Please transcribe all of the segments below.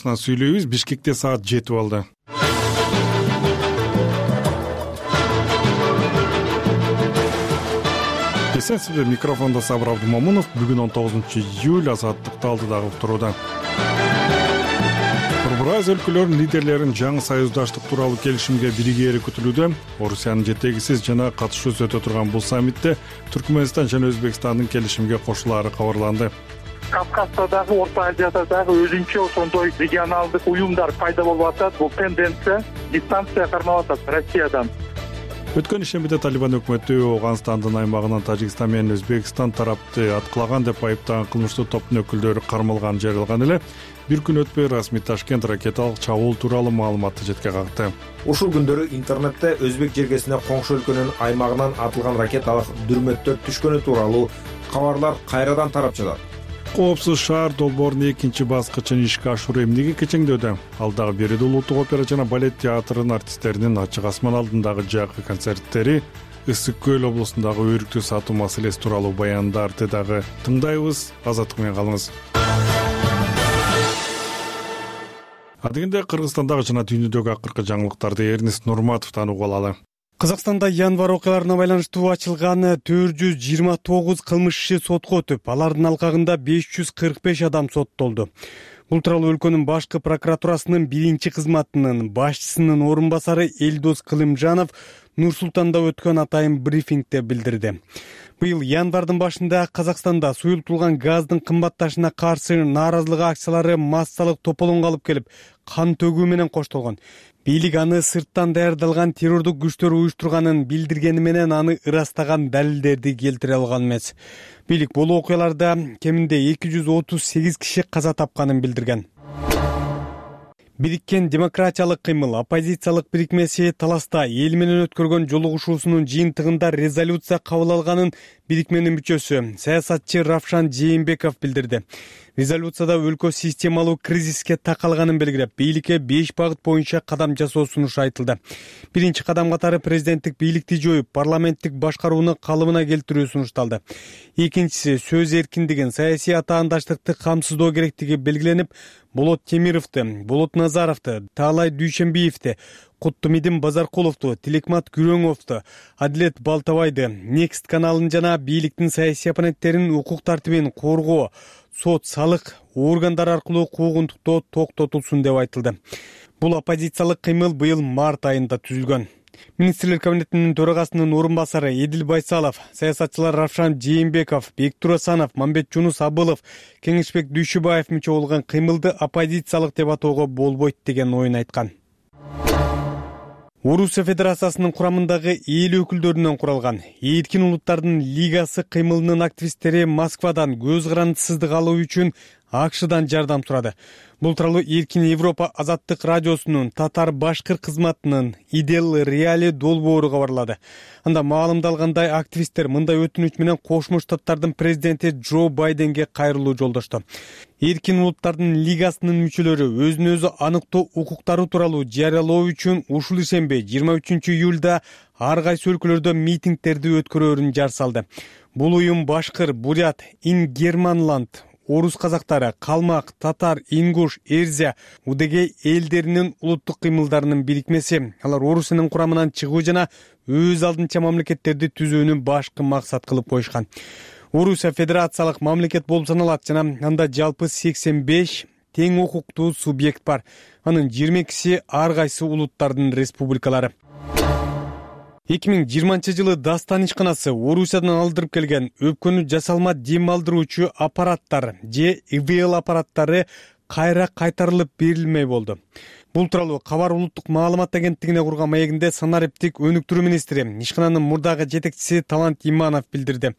Сүйлөйбүз. Бишкекте саат 7 болду. Эсенсизби, микрофондо Сабыр Абдумомунов. Бүгүн 19-июль, Азаттыкты алдыдагы уктурууда. Борбор өлкөлөрүнүн лидерлерин жаңы союздаштык тууралуу келишимге биригери күтүлүүдө. Орусиянын жетегисиз жана катышуусу өтө турган бул саммитте Түркмөнстан жана Өзбекстандын келишимге кошулаары кабарланды. Кавказда дагы, Орто Азияда дагы өзүнчө ошондой регионалдык уюмдар пайда болуп атат. Бул тенденция дистанция кармап атат Россиядан. Өткөн ишембиде Талибан өкмөтү Ооганстандын аймагынан Тажикстан менен Өзбекстан тарапты аткылаган деп айыптаган кылмыштуу топтун өкүлдөрү кармалганын жарыялаган эле. Бир күн өтпөй расмий Ташкент ракеталык чабуул тууралуу маалыматты четке какты. Ушул күндөрү интернетте Өзбек жергесине коңшу өлкөнүн аймагынан атылган ракеталык дүрмөттөр түшкөнү тууралуу кабарлар кайрадан тарап жатат. Коопсуз шаар долбоорунун экинчи баскычын ишке ашыруу эмнеге кечеңдөдү? Ал дагы Бериде улуттук опера жана балет театрынын артисттеринин ачык асман алдындагы жакы концерттери, Ысык Көл облусундагы өрүктү сатуу маселеси тууралуу баяндарды дагы тыңдайбыз. Азаттык менен калыңыз. Адегенде Кыргызстандагы жана дүйнөдөгү акыркы жаңылыктарды Эрнест Нурматовдон угуп алалы. Казакстанда январь окуяларына байланыштуу ачылган 429 кылмыш иши сотко өтүп, алардын алкагында 545 адам соттолду. Бул тууралуу өлкөнүн башкы прокуратурасынын биринчи кызматынын башчысынын орун басары Элдос Кылымжанов Нур-Султанда өткөн атайын брифингде билдирди. Быйыл январдын башында Казакстанда суюлтулган газдын кымбатташына каршы нааразылык акциялары массалык тополоңго алып келип, кан төгүү менен коштолгон. Бийлик аны сырттан даярдалган террордук күчтөр уюштурганын билдиргени менен аны ырастаган далилдерди келтире алган эмес. Бийлик бул окуяларда кеминде 238 киши каза тапканын билдирген. Бириккен демократиялык кыймыл оппозициялык бирикмеси таласта эл менен өткөргөн жолугушуусунун жыйынтыгында резолюция кабыл алганын бирикменин мүчөсү саясатчы Равшан Жээнбеков билдирди. Резолюцияда өлкө системалуу кризиске такалганын белгилеп, бийликке 5 багыт боюнча кадам жасоо сунушу айтылды. Биринчи кадам катары президенттик бийликти жоюп, парламенттик башкарууну калыбына келтирүү сунушталды. Экинчиси сөз эркиндигин, саясий атаандаштыкты камсыздоо керектиги белгиленип, Болот Темировду, Болот Назаровду, Таалай Дүйшөнбиевди, Куттумидин Базаркуловду, Тилекмат Күрөңовду, Адилет Балтабайды, Next каналын жана бийликтин саясий оппоненттеринин укук тартибин коргоо, сот, салык органдары аркылуу куугунтуктоо токтотулсун деп айтылды. Бул оппозициялык кыймыл быйыл март айында түзүлгөн. Министрлер кабинетинин төрагасынын орун басары Эдил Байсалов, саясатчылар Равшан Жээнбеков, Бектур Асанов, Мамбетжунус Абылов, Кеңешбек Дүйшүбаев мүчө болгон кыймылды оппозициялык деп атоого болбойт деген оюн айткан. Орусия Федерациясынын курамындагы эл өкүлдөрүнөн куралган Эркин улуттардын лигасы кыймылынын активисттери Москвадан көз карандысыздык алуу үчүн АКШдан жардам сурады. Бул тууралуу Эркин Европа азаттык радиосунун татар-башкыр кызматынын Идел Реали долбоору кабарлады. Анда маалымдалгандай, активисттер мындай өтүнүч менен Кошмо Штаттардын президенти Джо Байденге кайрылуу жолдошту. Эркин улуттардын лигасынын мүчөлөрү өзүн өзү аныктоо укуктары тууралуу жарыялоо үчүн ушул ишемби 23-июлда ар кайсы өлкөлөрдө митингдерди өткөрөөрүн жар салды. Бул уюм башкыр, бурят, ингерманланд, орус казактары, калмак, татар, ингуш, эрзя, удегей элдеринин улуттук кыймылдарынын бирикмеси. Алар Орусиянын курамынан чыгуу жана өз алдынча мамлекеттерди түзүүнү башкы максат кылып коюшкан. Орусия федерациялык мамлекет болуп саналат жана анда жалпы 85 тең укуктуу субъект бар. Анын 22си ар кайсы улуттардын республикалары. 2020 жылы Дастан ишканасы Орусиядан алдырып келген өпкөнү жасалма дем алдыруучу аппараттар же ИВЛ аппараттары кайра кайтарылып берилмей болду. Бул тууралуу Кабар улуттук маалымат агенттигине курган маегинде санариптик өнүктүрүү министри, ишкананын мурдагы жетекчиси Талант Иманов билдирди.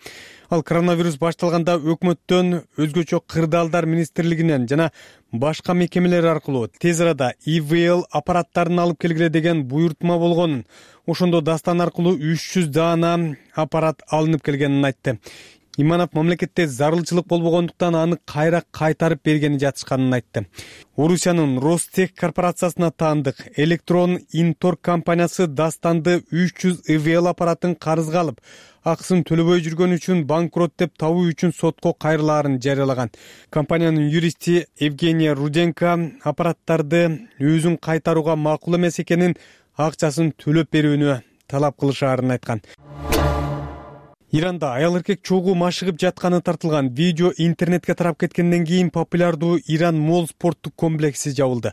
Ал коронавирус башталганда өкмөттөн, өзгөчө кырдаалдар министрлигинен жана башка мекемелер аркылуу тез арада ИВЛ аппараттарын алып келгиле деген буйртма болгонун, ошондо Дастан аркылуу 300 даана аппарат алынып келгенин айтты. Иманов мамлекетте зарылчылык болбогондуктан аны кайра кайтарып бергени жатышканын айтты. Орусиянын Ростех корпорациясына таандык Электрон Инторг компаниясы дастанды 300 ИВЛ аппаратын карызга алып, акысын төлөбөй жүргөн үчүн банкрот деп табуу үчүн сотко кайрылаарын жарыялаган. Компаниянын юристи Евгения Руденко аппараттарды өзүн кайтарууга макул эмес экенин, акчасын төлөп берүүнү талап кылышаарын айткан. Иранда аял эркек чогуу машыгып жатканы тартылган видео интернетке тарап кеткенден кийин популярдуу Иран Мол спорттук комплекси жабылды.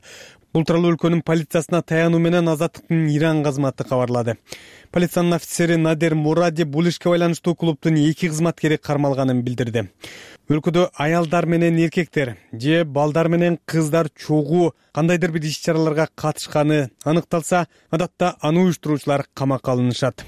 Бул тууралуу өлкөнүн полициясына таянуу менен Азаттыктын Иран кызматы кабарлады. Полициянын офицери Надер Муради бул ишке байланыштуу клубдун 2 кызматкери кармалганын билдирди. Өлкөдө аялдар менен эркектер же балдар менен кыздар чогуу кандайдыр бир иш-чараларга катышканы аныкталса, адатта аны уюштуруучулар камакка алынышат.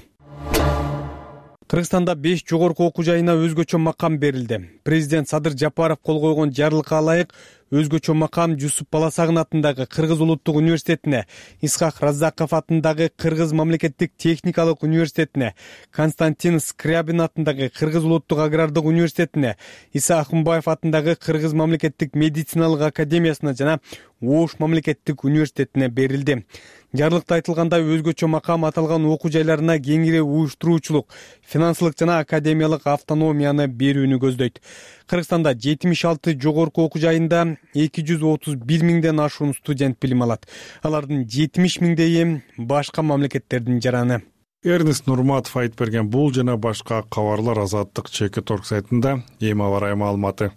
Кыргызстанда 5 жогорку окуу жайына өзгөчө макам берилди. Президент Садыр Жапаров кол койгон жарлыкка ылайык өзгөчө макам Жусуп Баласагын атындагы Кыргыз улуттук университетине, Исхак Раззаков атындагы Кыргыз мамлекеттик техникалык университетине, Константин Скрябин атындагы Кыргыз улуттук агрардык университетине, Иса Ахунбаев атындагы Кыргыз мамлекеттик медициналык академиясына жана Ош мамлекеттик университетине берилди. Жарлыкта айтылгандай, өзгөчө макам аталган окуу жайларына кеңири уюштуруучулук, финансылык жана академиялык автономияны берүүнү көздөйт. Кыргызстанда 76 жогорку окуу жайында 231 миңден ашуун студент билим алат. Алардын 70 миңдейи башка мамлекеттердин жараны. Эрнест Нурматов айтып берген бул жана башка кабарлар Азаттык ЧК сайтында эми аба-ырайы маалыматы.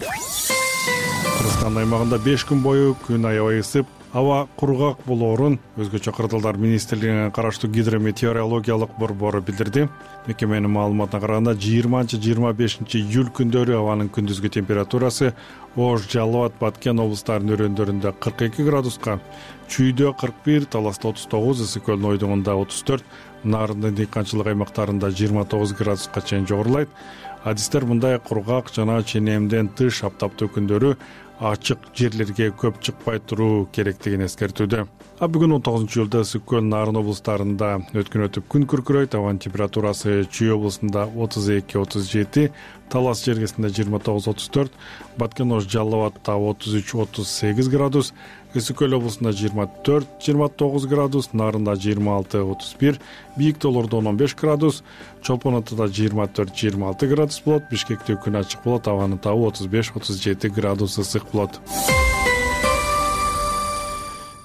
Кыргызстан аймагында 5 күн бою күн аябай ысып, аба кургак болоорун өзгөчө кырдаалдар министрлигине караштуу гидрометеорологиялык борбору билдирди. Мекеменин маалыматына караганда 20-25 июль күндөрү абанын күндүзгү температурасы Ош, Жалал-Абад, Баткен облустарынын өрөөндөрүндө 42 градуска, Чүйдө 41, Таласта 39, Ысык көлдүн ойдугунда 34, Нарындын дыйканчылык аймактарында 29 градуска чейин жогорулайт. Адистер мындай кургак жана ченемден тыш аптаптуу күндөрү ачык жерлерге көп чыкпай туруу керектигин эскертүүдө. Бүгүн 19 июлда Ысык көл, Нарын облустарында өткөн өтүп күн күркүрөйт. Абанын температурасы Чүй облусунда 32-37, Талас жергесинде 29-34, Баткен, Ош, Жалал-Абадта 33-38 градус, Ысык көл облусунда 24-29 градус, Нарында 26-31, Бийик тоолордо 15 градус, Чолпон Атада 24-26 градус болот, Бишкекте күн ачык болот, абанын табы 35-37 градус ысык болот.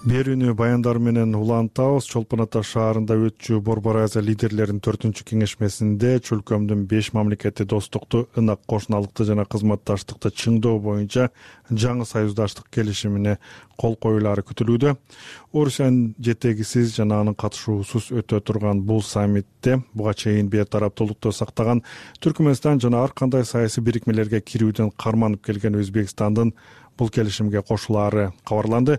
Берүүнү баяндар менен улантабыз. Чолпон Ата шаарында өтчү Борбор Азия лидерлеринин 4-чү кеңешмесинде чөлкөмдүн 5 мамлекети достукту, ынак кошуналыкты жана кызматташтыкты чыңдоо боюнча жаңы союздаштык келишимине кол коюлары күтүлүүдө. Орусиянын жетегисиз жана анын катышуусуз өтө турган бул саммитте буга чейин бейтараптуулукту сактаган Түркмөнстан жана ар кандай саясий бирикмелерге кирүүдөн карманып келген Өзбекстандын бул келишимге кошулаары кабарланды.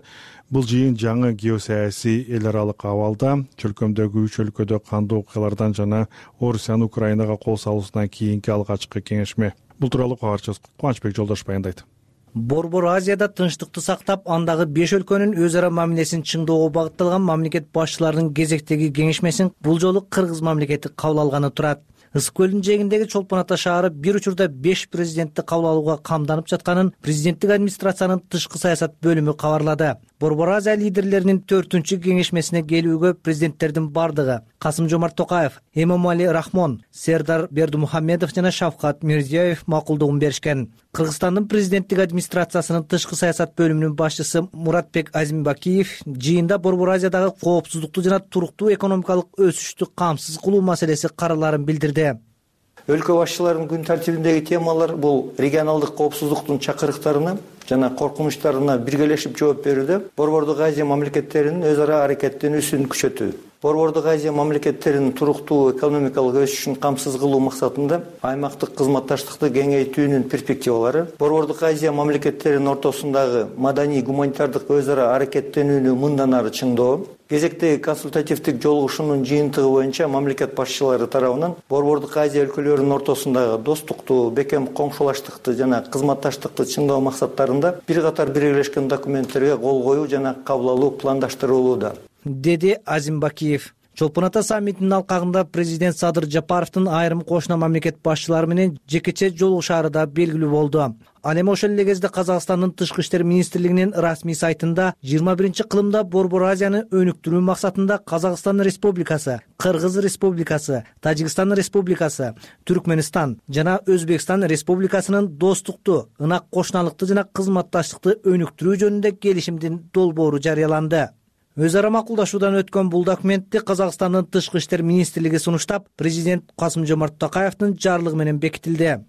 Бул жыйын жаңы геосаясий эл аралык абалда чөлкөмдөгү 3 өлкөдө кандуу окуялардан жана Орусиянын Украинага кол салуусунан кийинки алгачкы кеңешме. Бул тууралуу кабарчыбыз Кубанычбек Жолдош баяндайт. Борбор Азияда тынчтыкты сактап, андагы 5 өлкөнүн өз ара мамилесин чыңдоого багытталган мамлекет башчыларынын кезектеги кеңешмесин бул жолу Кыргыз мамлекети кабыл алганы турат. Ысык көлдүн жээгиндеги Чолпон Ата шаары бир учурда 5 президентти кабыл алууга камданып жатканын президенттик администрациянын тышкы саясат бөлүмү кабарлады. Борбор Азия лидерлеринин 4-чү кеңешмесине келүүгө президенттердин бардыгы Касым-Жомарт Токаев, Эмомали Рахмон, Сердар Бердимухамедов жана Шавкат Мирзиёев макулдугун беришкен. Кыргызстандын президенттик администрациясынын тышкы саясат бөлүмүнүн башчысы Муратбек Азимбакиев жыйында Борбор Азиядагы коопсуздукту жана туруктуу экономикалык өсүштү камсыз кылуу маселеси караларын билдирди. Өлкө башчыларынын күн тартибиндеги темалар бул регионалдык коопсуздуктун чакырыктарына жана коркунучтарына биргелешип жооп берүүдө, Борбордук Азия мамлекеттеринин өз ара аракеттенүүсүн күчөтүү, Борбордук Азия мамлекеттеринин туруктуу экономикалык өсүшүн камсыз кылуу максатында аймактык кызматташтыкты кеңейтүүнүн перспективалары, Борбордук Азия мамлекеттеринин ортосундагы маданий гуманитардык өз ара аракеттенүүнү мындан ары чыңдоо, кезектеги консультативдик жолугушуунун жыйынтыгы боюнча мамлекет башчылары тарабынан Борбордук Азия өлкөлөрүнүн ортосундагы достукту, бекем коңшулаштыкты жана кызматташтыкты чыңдоо максаттарында бир катар бирелешкен документтерге кол коюу жана кабыл алуу пландаштырылууда, деди Азимбакиев. Чолпон Ата саммитинин алкагында президент Садыр Жапаровдун айрым кошуна мамлекет башчылары менен жекече жолугушаары да белгилүү болду. Ал эми ошол эле кезде Казакстандын Тышкы иштер министрлигинин расмий сайтында 21-кылымда Борбор Азияны өнүктүрүү максатында Казакстан Республикасы, Кыргыз Республикасы, Тажикстан Республикасы, Түркмөнстан жана Өзбекстан Республикасынын достукту, ынак кошуналыкты жана кызматташтыкты өнүктүрүү жөнүндө келишимдин долбоору жарыяланды. Өз ара макулдашуудан өткөн бул документти Казакстандын Тышкы иштер министрлиги сунуштап, президент Касым-Жомарт Токаевдин жарлыгы менен бекитилди.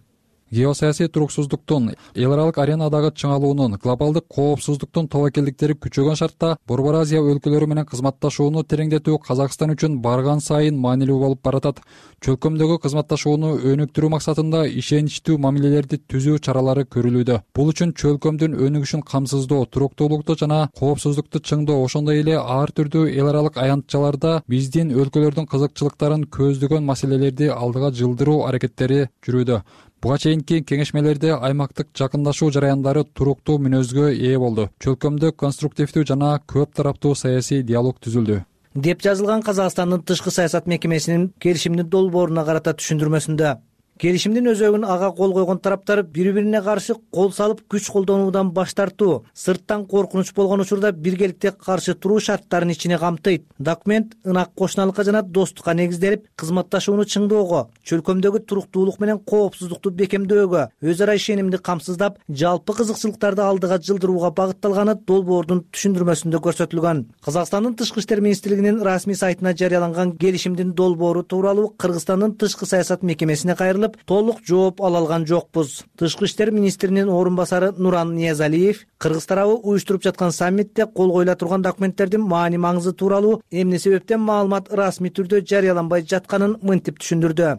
Геосаясий туруксуздуктун, эл аралык аренадагы чыңалуунун, глобалдык коопсуздуктун тобокелдиктери күчөгөн шартта Борбор Азия өлкөлөрү менен кызматташууну тереңдетүү Казакстан үчүн барган сайын маанилүү болуп баратат. Чөлкөмдөгү кызматташууну өнүктүрүү максатында ишеничтүү мамилелерди түзүү чаралары көрүлүүдө. Бул үчүн чөлкөмдүн өнүгүшүн камсыздоо, туруктуулукту жана коопсуздукту чыңдоо, ошондой эле ар түрдүү эл аралык аянтчаларда биздин өлкөлөрдүн кызыкчылыктарын көздөгөн маселелерди алдыга жылдыруу аракеттери жүрүүдө. Буга чейинки кеңешмелерде аймактык жакындашуу жараяндары туруктуу мүнөзгө ээ болду. Чөлкөмдө конструктивдүү жана көп тараптуу саясий диалог түзүлдү, деп жазылган Казакстандын Тышкы саясат мекемесинин келишимдин долбооруна карата түшүндүрмөсүндө. Келишимдин өзөгүн ага кол койгон тараптар бири-бирине каршы кол салып күч колдонуудан баш тартуу, сырттан коркунуч болгон учурда биргеликте каршы туруу шарттарын ичине камтыйт. Документ ынак кошуналыкка жана достукка негизделип, кызматташууну чыңдоого, чөлкөмдөгү туруктуулук менен коопсуздукту бекемдөөгө, өз ара ишенимди камсыздап, жалпы кызыкчылыктарды алдыга жылдырууга багытталганы долбоордун түшүндүрмөсүндө көрсөтүлгөн. Казакстандын Тышкы иштер министрлигинин расмий сайтына жарыяланган келишимдин долбоору тууралуу Кыргызстандын Тышкы саясат мекемесине кайрылып, толук жооп ала алган жокпуз. Тышкы иштер министринин орун басары Нуран Ниязалиев Кыргыз тарабы уюштуруп жаткан саммитте кол коюла турган документтердин маани маңызы тууралуу эмне себептен маалымат расмий түрдө жарыяланбай жатканын мынтип түшүндүрдү.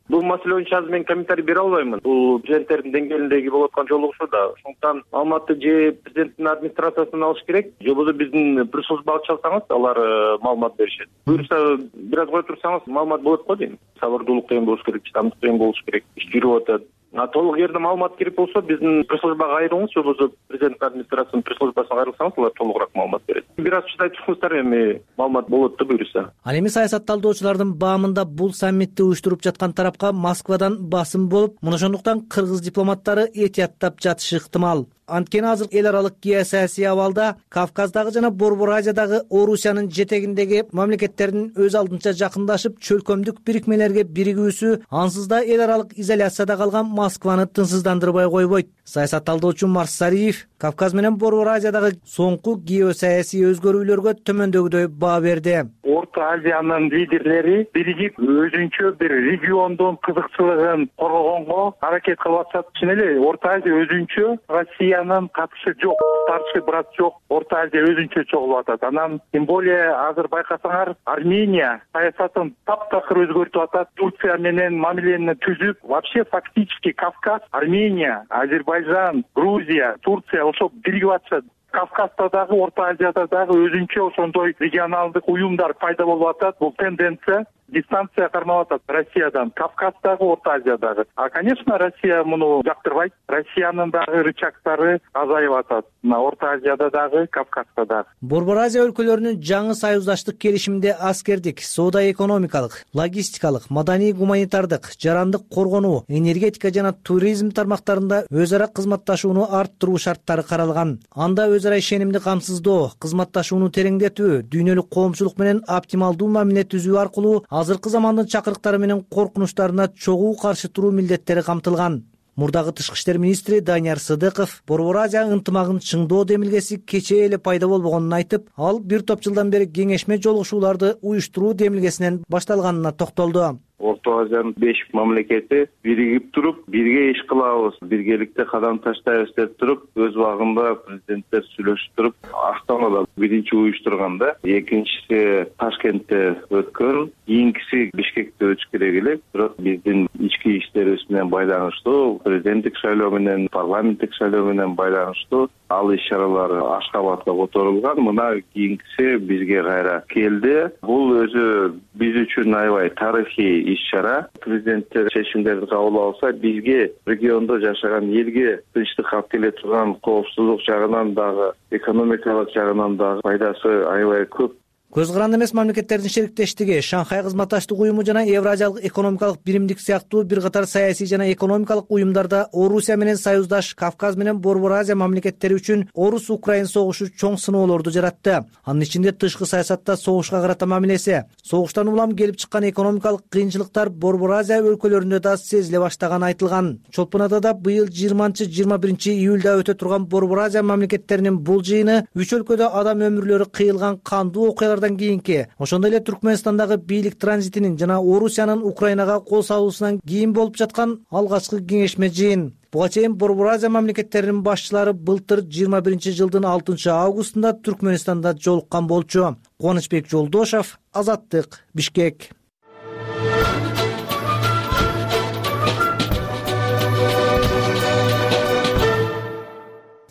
Бул маселе боюнча азыр мен комментарий бере албаймын. Бул президенттердин деңгээлиндеги болуп аткан жолугушууда. Ошондуктан маалыматты же президенттин администрациясынан алыш керек, же болбосо биздин пресс-службага чалсаңыз, алар маалымат беришет. Буюрса бир аз кое турсаңыз, маалымат болот го дейм. Сабырдуулук деген болуш керек, чыдамдык деген болуш керек. Иш жүрүп атат. Толук жерде маалымат керек болсо, биздин пресс-службага кайрылыңыз, же болбосо президенттин администрациясынын пресс-службасына кайрылсаңыз, алар толугураак маалымат берет. Бир аз чыдай турсаңыздар, эми маалымат болот да буюрса. Ал эми саясат талдоочулардын баамында бул саммитти уюштуруп жаткан тарапка Москвадан басым болуп, мына ошондуктан кыргыз дипломаттары этияттап жатышы ыктымал. Анткени азыр эл аралык геосаясий абалда Кавказдагы жана Борбор Азиядагы Орусиянын жетегиндеги мамлекеттердин өз алдынча жакындашып, чөлкөмдүк бирикмелерге биригүүсү ансыз да эл аралык изоляцияда калган Москваны тынчсыздандырбай койбойт. Саясат талдоочу Марс Сариев Кавказ менен Борбор Азиядагы соңку геосаясий өзгөрүүлөргө төмөндөгүдөй баа берди. Орто Азиянын лидерлери биригип өзүнчө бир региондун кызыкчылыгын коргогонго аракет кылып атышат. Чын эле Орто Азия өзүнчө, Россиянын катышы жок, старший брат жок. Орто Азия өзүнчө чогулуп атат. Анан тем более азыр байкасаңар, Армения саясатын таптакыр өзгөртүп атат. Турция менен мамилени түзүп, вообще фактически Кавказ, Армения, Азербайжан, Грузия, Турция ошо биригип атышат. Кавказда дагы, Орто Азияда дагы өзүнчө ошондой регионалдык уюмдар пайда болуп атат. Бул тенденция дистанция кармап атат Россиядан. Кавказдагы, Орто Азиядагы. Конечно, Россия муну жактырбайт. Россиянын дагы рычагдары азайып атат. Орто Азияда дагы, Кавказда дагы. Борбор Азия өлкөлөрүнүн жаңы союздаштык келишиминде аскердик, соода-экономикалык, логистикалык, маданий-гуманитардык, жарандык коргонуу, энергетика жана туризм тармактарында өз ара кызматташууну арттыруу шарттары каралган. Анда өз ара ишенимди камсыздоо, кызматташууну тереңдетүү, дүйнөлүк коомчулук менен оптималдуу мамиле түзүү аркылуу азыркы замандын чакырыктары менен коркунучтарына чогуу каршы туруу милдеттери камтылган. Мурдагы Тышкы иштер министри Данияр Сыдыков Борбор Азия ынтымагын чыңдоо демилгеси кечээ эле пайда болбогонун айтып, ал бир топ жылдан бери кеңешме жолугушууларды уюштуруу демилгесинен башталганына токтолду. Орто Азиянын 5 мамлекети биригип туруп, бирге иш кылабыз, биргеликте кадам таштайбыз деп туруп, өз убагында президенттер сүйлөшүп туруп, Астанада биринчи уюштурганда, экинчиси Ташкентте өткөн, кийинкиси Бишкекте өтүш керек эле. Бирок биздин ички иштерибиз менен байланыштуу, президенттик шайлоо менен, парламенттик шайлоо менен байланыштуу ал иш-чаралар Ашкабадка которулган. Мына кийинкиси бизге кайра келди. Бул өзү биз үчүн аябай тарыхый иш-чара. Президенттер чечимдерди кабыл алса, бизге, региондо жашаган элге тынчтык алып келе турган коопсуздук жагынан дагы, экономикалык жагынан дагы пайдасы аябай көп. Көз каранды эмес мамлекеттердин шериктештиги, Шанхай кызматташтык уюму жана Евразиялык экономикалык биримдик сыяктуу бир катар саясий жана экономикалык уюмдарда Орусия менен союздаш Кавказ менен Борбор Азия мамлекеттери үчүн Орус-Украин согушу чоң сыноолорду жаратты. Анын ичинде тышкы саясатта согушка карата мамилеси, согуштан улам келип чыккан экономикалык кыйынчылыктар Борбор Азия өлкөлөрүндө да сезиле баштаганы айтылган. Чолпонадада быйыл 20-21 июлда өтө турган Борбор Азия мамлекеттеринин бул жыйыны үч өлкөдө адам өмүрлөрү кыйылган кандуу окуялардан кийинки, ошондой эле Түркмөнстандагы бийлик транзитинин жана Орусиянын Украинага кол салуусунан кийин болуп жаткан алгачкы кеңешме жыйын. Буга чейин Борбор Азия мамлекеттеринин башчылары былтыр 21 жылдын 6 августунда Түркмөнстанда жолуккан болчу. Кубанычбек Жолдошов, Азаттык, Бишкек.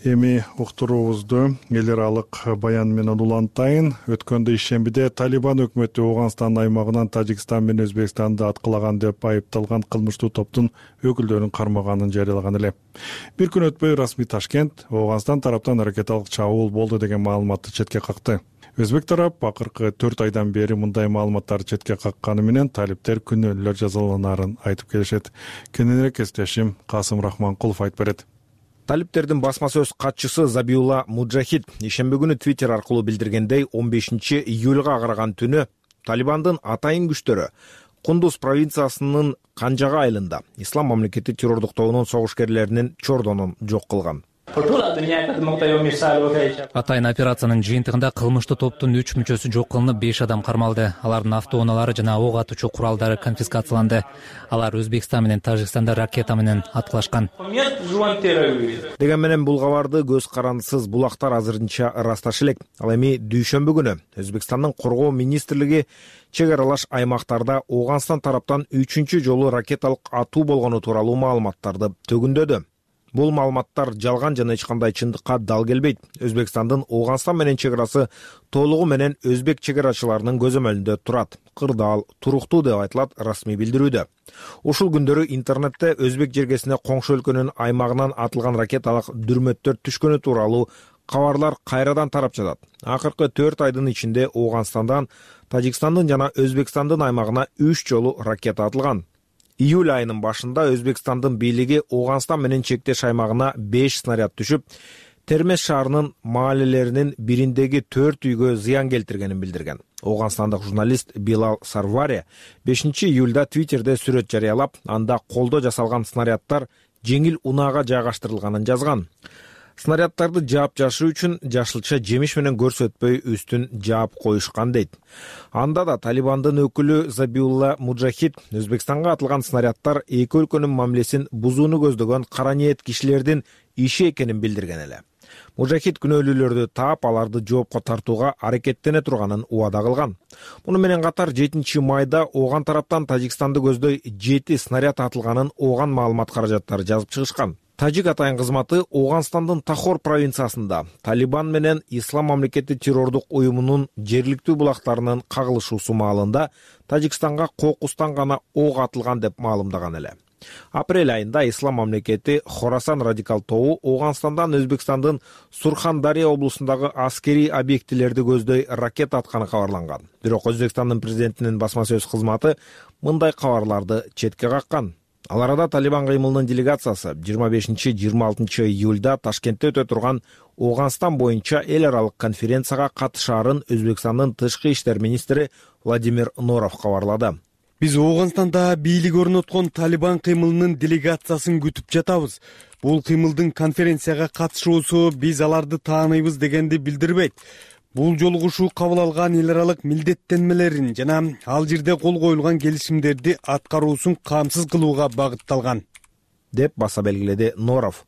Эми уктуруубузду эл аралык баян менен улантайын. Өткөндө ишембиде Талибан өкмөтү Ооганстан аймагынан Тажикстан менен Өзбекстанды аткылаган деп айыпталган кылмыштуу топтун өкүлдөрүн кармаганын жарыялаган эле. Бир күн өтпөй расмий Ташкент Ооганстан тараптан ракеталык чабуул болду деген маалыматты четке какты. Өзбек тарап акыркы 4 айдан бери мындай маалыматтарды четке какканы менен талиптер күнөөлөр жазаланарын айтып келишет. Кененирээк эстешим Касым Рахманкулов айтып берет. Талиптердин басма сөз катчысы Забиулла Муджахид ишемби күнү Твиттер аркылуу билдиргендей, 15 июлга караган түнү Талибандын атайын күчтөрү Кундуз провинциясынын Канжага айылында Ислам мамлекети террордук тобунун согушкерлеринин чордонун жок кылган. Атайын операциянын жыйынтыгында кылмыштуу топтун 3 мүчөсү жок кылынып, 5 адам кармалды. Алардын автоунаалары жана ок атуучу куралдары конфискацияланды. Алар Өзбекстан менен Тажикстанда ракета менен аткылашкан. Деген менен бул кабарды көз карандысыз булактар азырынча ырасташы элек. Ал эми дүйшөмбү күнү Өзбекстандын коргоо министрлиги чек аралаш аймактарда Ооганстан тараптан 3-чү жолу ракеталык атуу болгону тууралуу маалыматтарды төгүндөдү. Бул маалыматтар жалган жана эч кандай чындыкка дал келбейт. Өзбекстандын Ооганстан менен чек арасы толугу менен өзбек чек арачыларынын көзөмөлүндө турат. Кырдаал, туруктуу деп айтылат расмий билдирүүдө. Ушул күндөрү интернетте өзбек жергесине коңшу өлкөнүн аймагынан атылган ракеталык дүрмөттөр түшкөнү тууралуу кабарлар кайрадан тарап жатат. Акыркы 4 айдын ичинде Ооганстандан Тажикстандын жана Өзбекстандын аймагына 3 жолу ракета атылган. Июль айынын башында Өзбекстандын бийлиги Ооганстан менен чектеш аймагына 5 снаряд түшүп, Термес шаарынын маалелеринин бириндеги 4 үйгө зыян келтиргенин билдирген. Ооганстандык журналист Билал Сарвари 5 июлда Твиттерде сүрөт жарыялап, анда колдо жасалган снаряддар жеңил унаага жайгаштырылганын жазган. Снаряддарды жаап жашыруу үчүн жашылча жемиш менен көрсөтпөй үстүн жаап коюшкан дейт. Анда да Талибандын өкүлү Забиулла Муджахид Өзбекстанга атылган снаряддар эки өлкөнүн мамилесин бузууну көздөгөн кара ниет кишилердин иши экенин билдирген эле. Муджахид күнөөлүүлөрдү таап, аларды жоопко тартууга аракеттене турганын убада кылган. Муну менен катар 7 майда Ооган тараптан Тажикстанды көздөй 7 снаряд атылганын Ооган маалымат каражаттары жазып чыгышкан. Тажик атайын кызматы Ооганстандын Тахор провинциясында Талибан менен Ислам мамлекети террордук уюмунун жергиликтүү булактарынын кагылышуусу маалында Тажикстанга кокустан гана ок атылган деп маалымдаган эле. Апрель айында Ислам мамлекети Хорасан радикал тобу Ооганстандан Өзбекстандын Сурхан-Дарья облусундагы аскерий объектилерди көздөй ракета атканы кабарланган. Бирок Өзбекстандын президентинин басма сөз кызматы мындай кабарларды четке каккан. Ал арада Талибан кыймылынын делегациясы 25-26 июлда Ташкентте өтө турган Ооганстан боюнча эл аралык конференцияга катышаарын Өзбекстандын тышкы иштер министри Владимир Норов кабарлады. Биз Ооганстанда бийлик орноткон Талибан кыймылынын делегациясын күтүп жатабыз. Бул кыймылдын конференцияга катышуусу биз аларды тааныйбыз дегенди билдирбейт. Бул жолугушуу кабыл алган эл аралык милдеттенмелерин жана ал жерде кол коюлган келишимдерди аткаруусун камсыз кылууга багытталган, деп баса белгиледи Норов.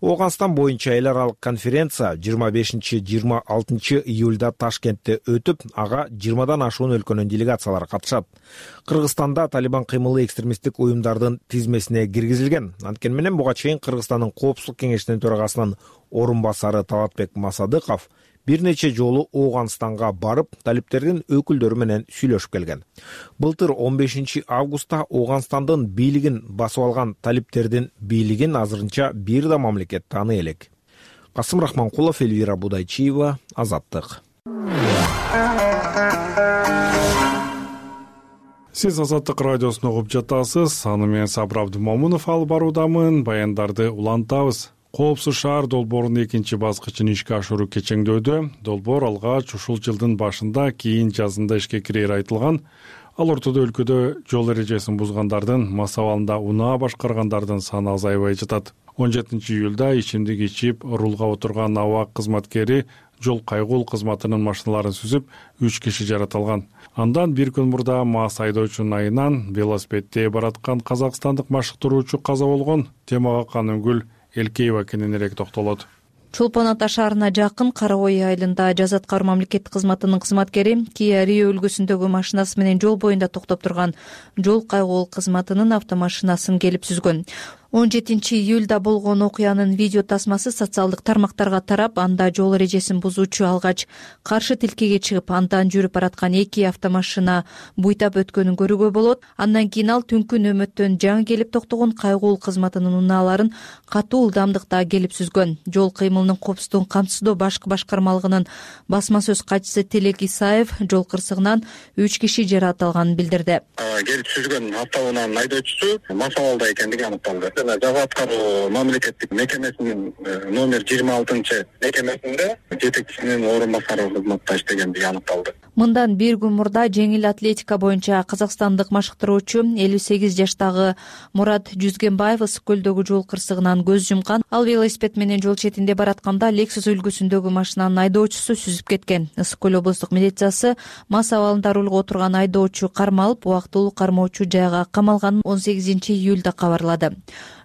Ооганстан боюнча эл аралык конференция 25-26 июлда Ташкентте өтүп, ага 20дан ашуун өлкөнүн делегациялары катышат. Кыргызстанда Талибан кыймылы экстремисттик уюмдардын тизмесине киргизилген. Анткени менен буга чейин Кыргызстандын Коопсуздук кеңешинин төрагасынын орун басары Талатбек Масадыков бир нече жолу Ооганстанга барып, талиптердин өкүлдөрү менен сүйлөшүп келген. Былтыр 15 августта Ооганстандын бийлигин басып алган талиптердин бийлигин азырынча бир да мамлекет тааный элек. Касым Рахманкулов, Эльвира Будайчиева, Азаттык. Сиз Азаттык радиосун угуп жатасыз. Аны мен Сабыр Абдымомунов алып баруудамын. Баяндарды улантабыз. Коопсуз шаар долбоорунун экинчи баскычын ишке ашыруу кечеңдөөдө. Долбоор алгач ушул жылдын башында, кийин жазында ишке кирери айтылган. Ал ортодо өлкөдө жол эрежесин бузгандардын, мас абалында унаа башкаргандардын саны азайбай жатат. 17-июлда ичимдик ичип рулга отурган АБАК кызматкери жол кайгул кызматынын машиналарын сүзүп 3 киши жаратылган. Андан бир күн мурда мас айдоочунун айынан велосипедде бараткан казакстандык машыктыруучу каза болгон. Темага Канымгүл Элкеева кененирээк токтолот. Чолпон Ата шаарына жакын Кара Ой айылында Жаза аткаруу мамлекеттик кызматынын кызматкери Kia Rio үлгүсүндөгү машинасы менен жол боюнда токтоп турган жол кайгул кызматынын автомашинасын келип сүзгөн. 17-июлда болгон окуянын видео тасмасы социалдык тармактарга тарап, анда жол эрежесин бузуучу алгач каршы тилкеге чыгып, андан жүрүп бараткан 2 автомашина буйтап өткөнүн көрүүгө болот. Андан кийин ал түнкү нөмөттөн жаңы келип токтогон кайгул кызматынын унааларын катуу ылдамдыкта келип сүзгөн. Жол кыймылынын коопсуздугун камсыздоо башкы башкармалыгынын басма сөз катчысы Телек Исаев жол кырсыгынан 3 киши жаратылганын билдирди. Келип сүзгөн автоунаанын айдоочусу мас абалда экендиги аныкталды. Жаза аткаруу мамлекеттик мекемесинин номер 26 мекемесинде жетекчисинин орун басары кызматта иштегендиги аныкталды. Мындан бир күн мурда жеңил атлетика боюнча казакстандык машыктыруучу 58 жаштагы Мурат Жүзгенбаев ысык көлдөгү жол кырсыгынан көз жумкан. Ал велосипед менен жол четинде баратканда Lexus үлгүсүндөгү машинанын айдоочусу сүзүп кеткен. Ысык көл облустук милициясы мас абалында рулга отурган айдоочу кармалып, убактылуу кармоочу жайга камалганын 18-июлда кабарлады.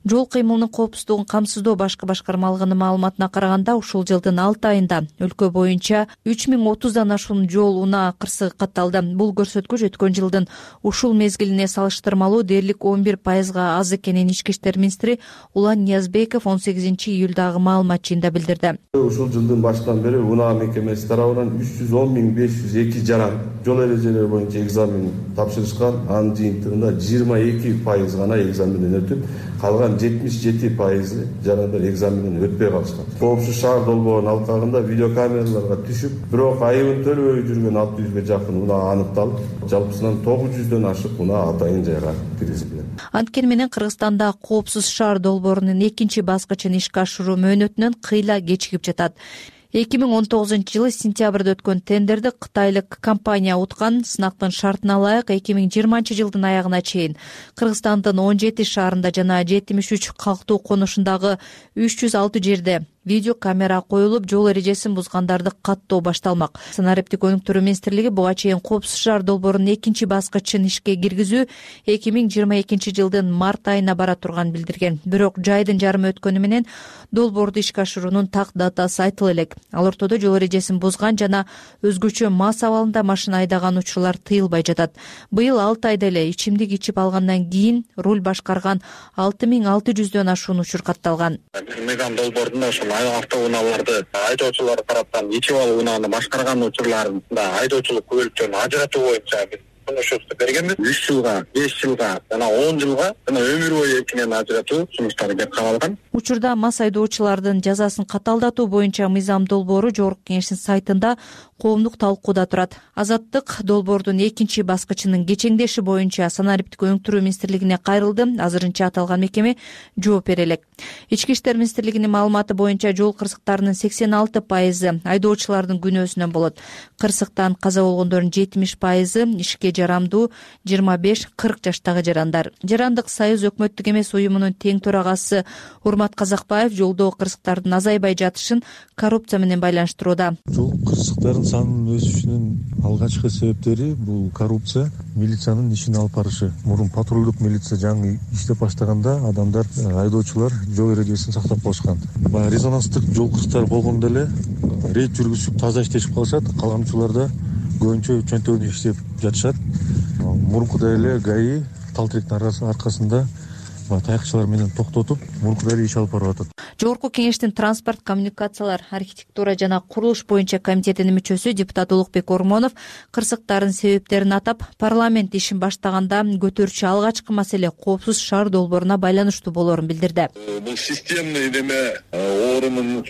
Жол кыймылынын коопсуздугун камсыздоо башкы башкармалыгынын маалыматына караганда, ушул жылдын 6 айында өлкө боюнча 3030дан ашуун жол унаа кырсыгы катталды. Бул көрсөткүч өткөн жылдын ушул мезгилине салыштырмалуу дээрлик 11%га аз экенин Ички иштер министри Улан Ниязбеков 18-июлдагы маалымат жыйында билдирди. Ушул жылдын башынан бери унаа мекемеси тарабынан 310.502 жаран жол эрежелери боюнча экзамен тапшырышкан. Анын жыйынтыгында 22% гана экзаменден өтүп, калган 77% жарандар экзаменден өтпөй калышкан. Коопсуз шаар долбоорунун алкагында видеокамераларга түшүп, бирок айыбын төлөбөй жүргөн 600га жакын унаа аныкталып, жалпысынан 900дөн ашык унаа атайын жайга киргизилген. Анткени менен Кыргызстанда коопсуз шаар долбоорунун экинчи баскычын ишке ашыруу мөөнөтүнөн кыйла кечигип жатат. 2019-жылы сентябрда өткөн тендерди кытайлык компания уткан. Сынактын шартына ылайык 2020-жылдын аягына чейин Кыргызстандын 17 шаарында жана 73 калктуу конушундагы 306 жерде видео камера коюлуп, жол эрежесин бузгандарды каттоо башталмак. Санариптик өнүктүрүү министрлиги буга чейин коопсуз шаар долбоорунун экинчи баскычын ишке киргизүү 2022 жылдын март айына бара турганын билдирген. Бирок жайдын жарымы өткөнү менен долбоорду ишке ашыруунун так датасы айтыла элек. Ал ортодо жол эрежесин бузган жана өзгөчө мас абалында машина айдаган учурлар тыйылбай жатат. Быйыл 6 айда эле ичимдик ичип алгандан кийин руль башкарган 6600дөн ашуун учур катталган. Мыйзам долбоорунда ошол автоунааларды айдоочулар тараптан ичип алуу унааны башкарган учурларында айдоочулук күбөлүктөрүн ажыратуу боюнча сунушту бергенбиз. 3 жылга, 5 жылга жана 10 жылга жана өмүр бою эркинен ажыратуу сунуштары кеп кабылган. Учурда мас айдоочулардын жазасын каталдатуу боюнча мыйзам долбоору Жогорку Кеңештин сайтында коомдук талкууда турат. Азаттык долбоордун экинчи баскычынын кечеңдеши боюнча Санариптик өнүктүрүү министрлигине кайрылды. Азырынча аталган мекеме жооп бере элек. Ички иштер министрлигинин маалыматы боюнча жол кырсыктарынын 86% айдоочулардын күнөөсүнөн болот. Кырсыктан каза болгондордун 70% ишке жарамдуу 25-40 жаштагы жарандар. Жарандык союз өкмөттүк эмес уюмунун тең төрагасы Урмат Казакбаев жолдо кырсыктардын азайбай жатышын коррупция менен байланыштырууда. Жол кырсыктарынын санынын өсүшүнүн алгачкы себептери бул коррупция, милициянын ишин алып барышы. Мурун патрулдук милиция жаңы иштеп баштаганда адамдар, айдоочулар жол эрежесин сактап калышкан. Баягы резонанстык жол кырсыктары болгондо эле рейд жүргүзүп таза иштешип калышат, калганчыларда көбүнчө чөнтөгүндө иштеп жатышат. Мурункудай эле ГАИ тал тиректин аркасында таякчылар менен токтотуп мурункудай иш алып барып атат. Жогорку кеңештин транспорт, коммуникациялар, архитектура жана курулуш боюнча комитетинин мүчөсү депутат Улукбек Ормонов кырсыктардын себептерин атап, парламент ишин баштаганда көтөрүүчү алгачкы маселе коопсуз шаар долбооруна байланыштуу болоорун билдирди. Бул системный оорунун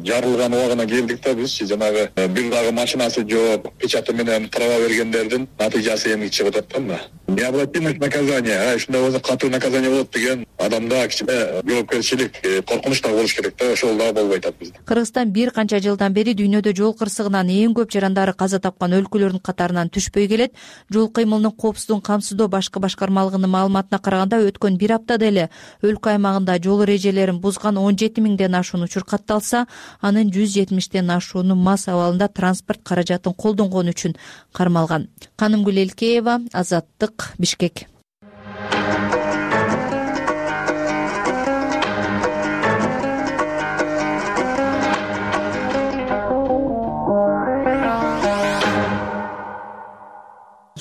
жарылган убагына келдик да бизчи. Жанагы бир дагы машинасы жок, печаты менен права бергендердин натыйжасы эми чыгып атат да. Необратимость наказания, ушундай болсо катуу наказание болот деген адамда кичине жоопкерчилик, коркунуч да болуш керек да, ошол дагы болбой атат бизде. Кыргызстан бир канча жылдан бери дүйнөдө жол кырсыгынан эң көп жарандары каза тапкан өлкөлөрдүн катарынан түшпөй келет. Жол кыймылынын коопсуздугун камсыздоо башкы башкармалыгынын маалыматына караганда өткөн бир аптада эле өлкө аймагында жол эрежелерин бузган 17 000ден ашуун учур катталса, анын 170ден ашууну мас абалында транспорт каражатын колдонгон үчүн кармалган. Канымгүл Элкеева, Азаттык, Бишкек.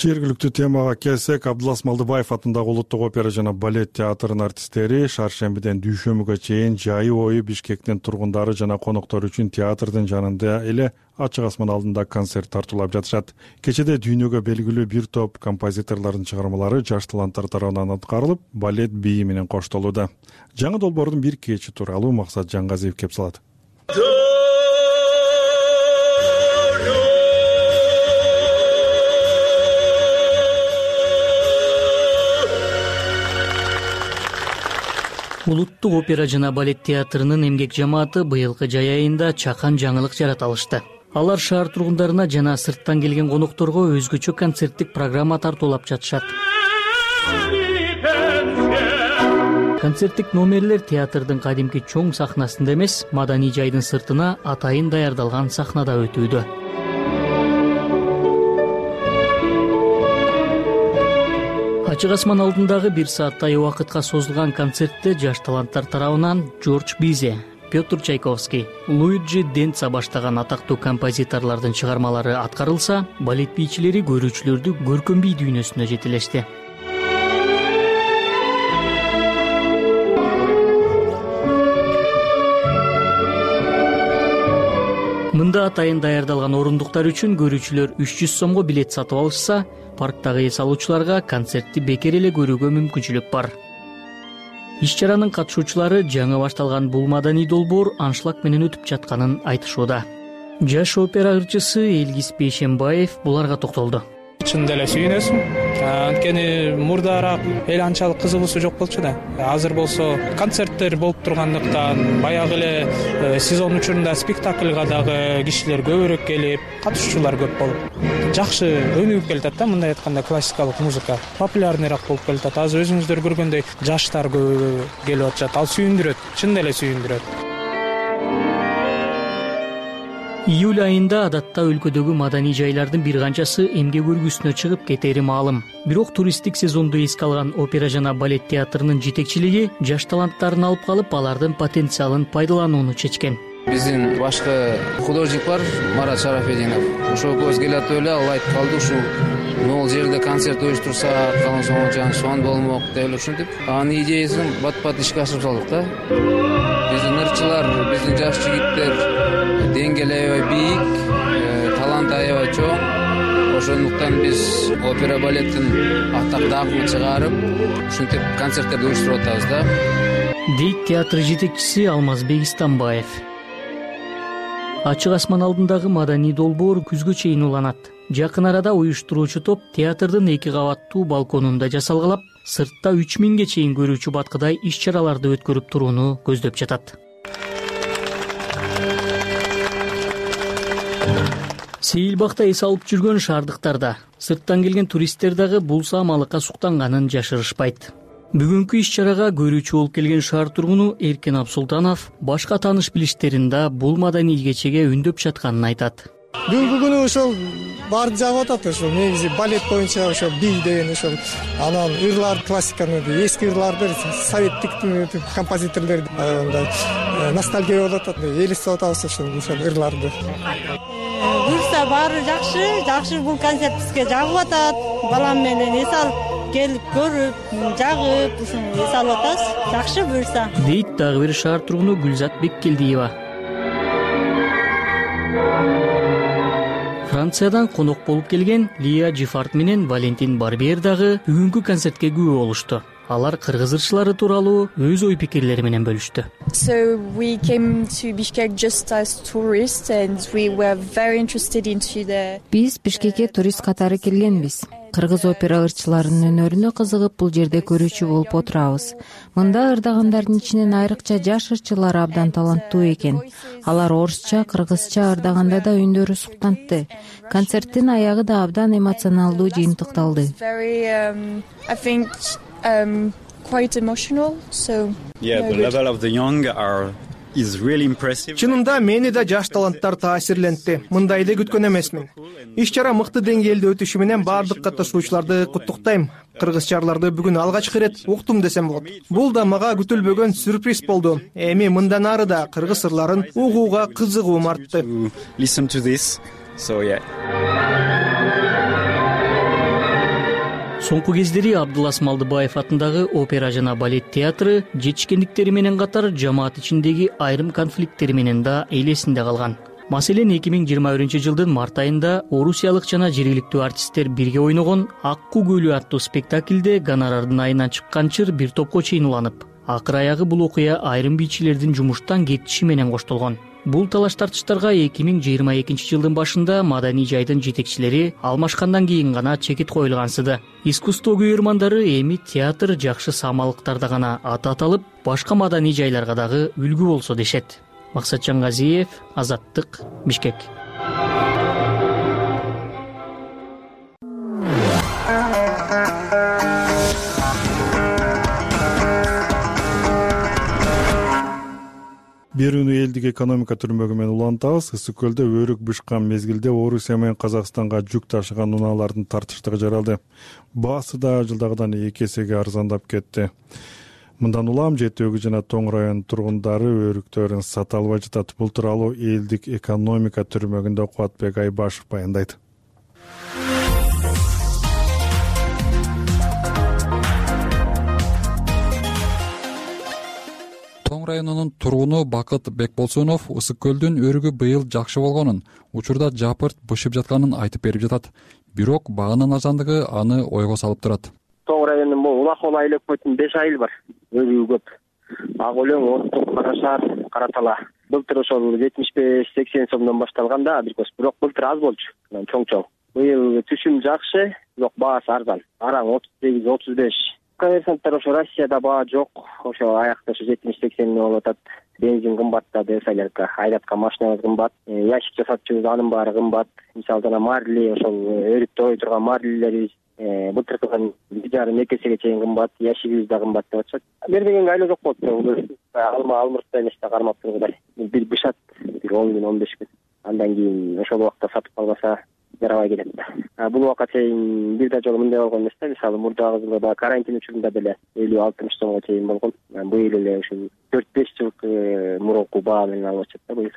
Жергиликтүү темага келсек, Абдулас Малдыбаев атындагы Улуттук опера жана балет театрынын артисттери шаршембиден дүйшөмбүгө чейин жайы бою Бишкектин тургундары жана коноктору үчүн театрдын жанында эле ачык асман алдында концерт тартуулап жатышат. Кечеде дүйнөгө белгилүү бир топ композиторлордун чыгармалары жаш таланттар тарабынан аткарылып, балет бийи менен коштолууда. Жаңы долбоордун бир кечи тууралуу Максат Жаңгазиев кеп салат. Улуттук опера жана балет театрынын эмгек жамааты быйылкы жай айында чакан жаңылык жарата алышты. Алар шаар тургундарына жана сырттан келген конокторго өзгөчө концерттик программа тартуулап жатышат. Концерттик номерлер театрдын кадимки чоң сахнасында эмес, маданий жайдын сыртына атайын даярдалган сахнада өтүүдө. Ачык асман алдындагы 1 сааттай убакытка созулган концертте жаш таланттар тарабынан Джордж Бизе, Петр Чайковский, Луиджи Денца баштаган атактуу композиторлордун чыгармалары аткарылса, балет бийчилери көрүүчүлөрдү көркөм бий дүйнөсүнө жетелешти. Мында атайын даярдалган орундуктар үчүн көрүүчүлөр 300 сомго билет сатып алышса, парктагы эс алуучуларга концертти бекер эле көрүүгө мүмкүнчүлүк бар. Иш-чаранын катышуучулары жаңы башталган бул маданий долбоор аншлаг менен өтүп жатканын айтышууда. Жаш опера ырчысы Элгиз Бейшембаев буларга токтолду. Чындап эле сүйүнөсүң. Анткени мурдараак эл анчалык кызыгуусу жок болчу да. Азыр болсо концерттер болуп тургандыктан, баягы эле сезон учурунда спектакльга дагы кишилер көбүрөөк келип, катышуучулар көп болуп, жакшы өнүгүп келатат да. Мындай айтканда классикалык музыка популярныйраак болуп келатат. Азыр өзүңүздөр көргөндөй жаштар көп келип атышат. Ал сүйүндүрөт, чындап эле сүйүндүрөт. Июль айында адатта өлкөдөгү маданий жайлардын бир канчасы эмгек өргүсүнө чыгып кетери маалым. Бирок туристтик сезонду эске алган опера жана балет театрынын жетекчилиги жаш таланттарын алып калып, алардын потенциалын пайдаланууну чечкен. Биздин башкы художник бар, Марат Шарафединов. Ошол көз келатып эле ал айтып калды, ушу могул жерде концерт уюштурсак, калган соң шон болмок деп эле ушинтип, анын идеясын бат-бат ишке ашырып салдык да. Биздин ырчылар, биздин жаш жигиттер деңгээли аябай бийик, талант аябай чоң. Ошондуктан биз опера балеттин атактуу агымын чыгарып, ушинтип концерттерди уюштуруп атабыз да. Дейт театр жетекчиси Алмазбек Истамбаев. Ачык асман алдындагы маданий долбоор күзгө чейин уланат. Жакын арада уюштуруучу топ театрдын 2 кабаттуу балконунда жасалгалап, сыртта 3000ге чейин көрүүчү баткыдай иш-чараларды өткөрүп турууну көздөп жатат. Сейилбакта эс алып жүргөн шаардыктарда, сырттан келген туристтер дагы бул саамалыкка суктанганын жашырышпайт. Бүгүнкү иш-чарага көрүүчү болуп келген шаар тургуну Эркен Абсултанов башка тааныш-билиштерин да бул маданий кечеге үндөп жатканын айтат. Бүгүнкү күнү ошол баарын жагып атат, ошол негизи балет боюнча ошол бий деген ошол анан ырлар классиканы, эски ырларды, советтик композиторлорду ностальгия болуп атат, элестеп атабыз ошол ырларды. Буюрса баары жакшы бул концерт бизге жагып атат. Балам менен эс алып келип көрүп, жагып ушуну эс алып атабыз. Жакшы буюрса. Дейт дагы бир шаар тургуну Гүлзат Беккелдиева. Франциядан конок болуп келген Лия Жифарт менен Валентин Барбер дагы бүгүнкү концертке күбө болушту. Алар кыргыз ырчылары тууралуу өз ой пикирлери менен бөлүштү. So we came to Bishkek just as tourists and we were very interested into the. Биз Бишкекке турист катары келгенбиз. Кыргыз опера ырчыларынын өнөрүнө кызыгып бул жерде көрүүчү болуп отурабыз. Мында ырдагандардын ичинен айрыкча жаш ырчылар абдан таланттуу экен. Алар орусча, кыргызча ырдаганда да үндөрү суктантты. Концерттин аягы да абдан эмоционалдуу жыйынтыкталды. I think quite emotional. So yeah, the level of the young is really impressive. Чынында мени да жаш таланттар таасирлентти. Мындайды күткөн эмесмин. Иш-чара мыкты деңгээлде өтүшү менен баардык катышуучуларды куттуктайм. Кыргызчаларды бүгүн алгачкы ирет уктум десем болот. Бул да мага күтүлбөгөн сюрприз болду. Эми мындан ары да кыргыз ырларын угууга кызыгуум артты. Listen to this. So yeah. Соңку кездери Абдулас Малдыбаев атындагы опера жана балет театры жетишкендиктери менен катар жамаат ичиндеги айрым конфликттери менен да элесинде калган. Маселен 2021-жылдын март айында орусиялык жана жергиликтүү артисттер бирге ойногон Акку көлү аттуу спектаклде гонорардын айынан чыккан чыр бир топко чейин уланып, акыр аягы бул окуя айрым бийчилердин жумуштан кетиши менен коштолгон. Бул талаш тартыштарга 2022-жылдын башында маданий жайдын жетекчилери алмашкандан кийин гана чекит коюлгансыды. Искусство күйөрмандары эми театр жакшы самалыктарда гана аты аталып, башка маданий жайларга дагы үлгү болсо дешет. Максатжан Газиев, Азаттык, Бишкек. Берүүнү элдик экономика түрмөгү менен улантабыз. Ысык көлдө өрүк бышкан мезгилде Орусия менен Казакстанга жүк ташыган унаалардын тартыштыгы жаралды. Баасы да жылдагыдан 2 эсеге арзандап кетти. Мындан улам Жети Өгүз жана Тоң районунун тургундары өрүктөрүн сата албай жатат. Бул тууралуу элдик экономика түрмөгүндө Кубатбек Айбашев баяндайт. Тоң районунун тургуну Бакыт Бекболсунов Ысык көлдүн өрүгү быйыл жакшы болгонун, учурда жапырт бышып жатканын айтып берип жатат. Бирок багынын арзандыгы аны ойго салып турат. Тоң районунун могу Улакол айлык көтүн 5 айыл бар. Өрүгү көп. Ак өлөң, Оттук, Кара Шаар, Кара Тала. Былтыр ошол 75-80 сомдон башталганда абрикос, бирок былтыр аз болчу. Чоң-чоң. Быйыл түшүм жакшы, бирок баасы арзан. Араң 38-35. Коммерсанттар ошо Россияда баа жок, ошо аякта ошо 70-80 болуп атат. Бензин кымбаттады, солярка, айдаткан машинабыз кымбат, ящик жасатчубуз анын баары кымбат. Мисалы жана марли, ошол өрүктө ой турган марлилерибиз былтыркыдан 1,5-2 эсеге чейин кымбат, ящигибиз да кымбат деп атышат. Бербегенге айла жок болот. Алмыртта эмес да кармап тургудай. Бир бышат, бир 10 күн, 15 күн. Андан кийин ошол убакта сатып калбаса жарабай келет да. Бул убакка чейин бир да жолу мындай болгон эмес да. Мисалы мурдагы жылы да карантин учурунда деле 50-60 сомго чейин болгон. Быйыл эле ушу 4-5 жыл мурунку баа менен алып атышат да быйыл.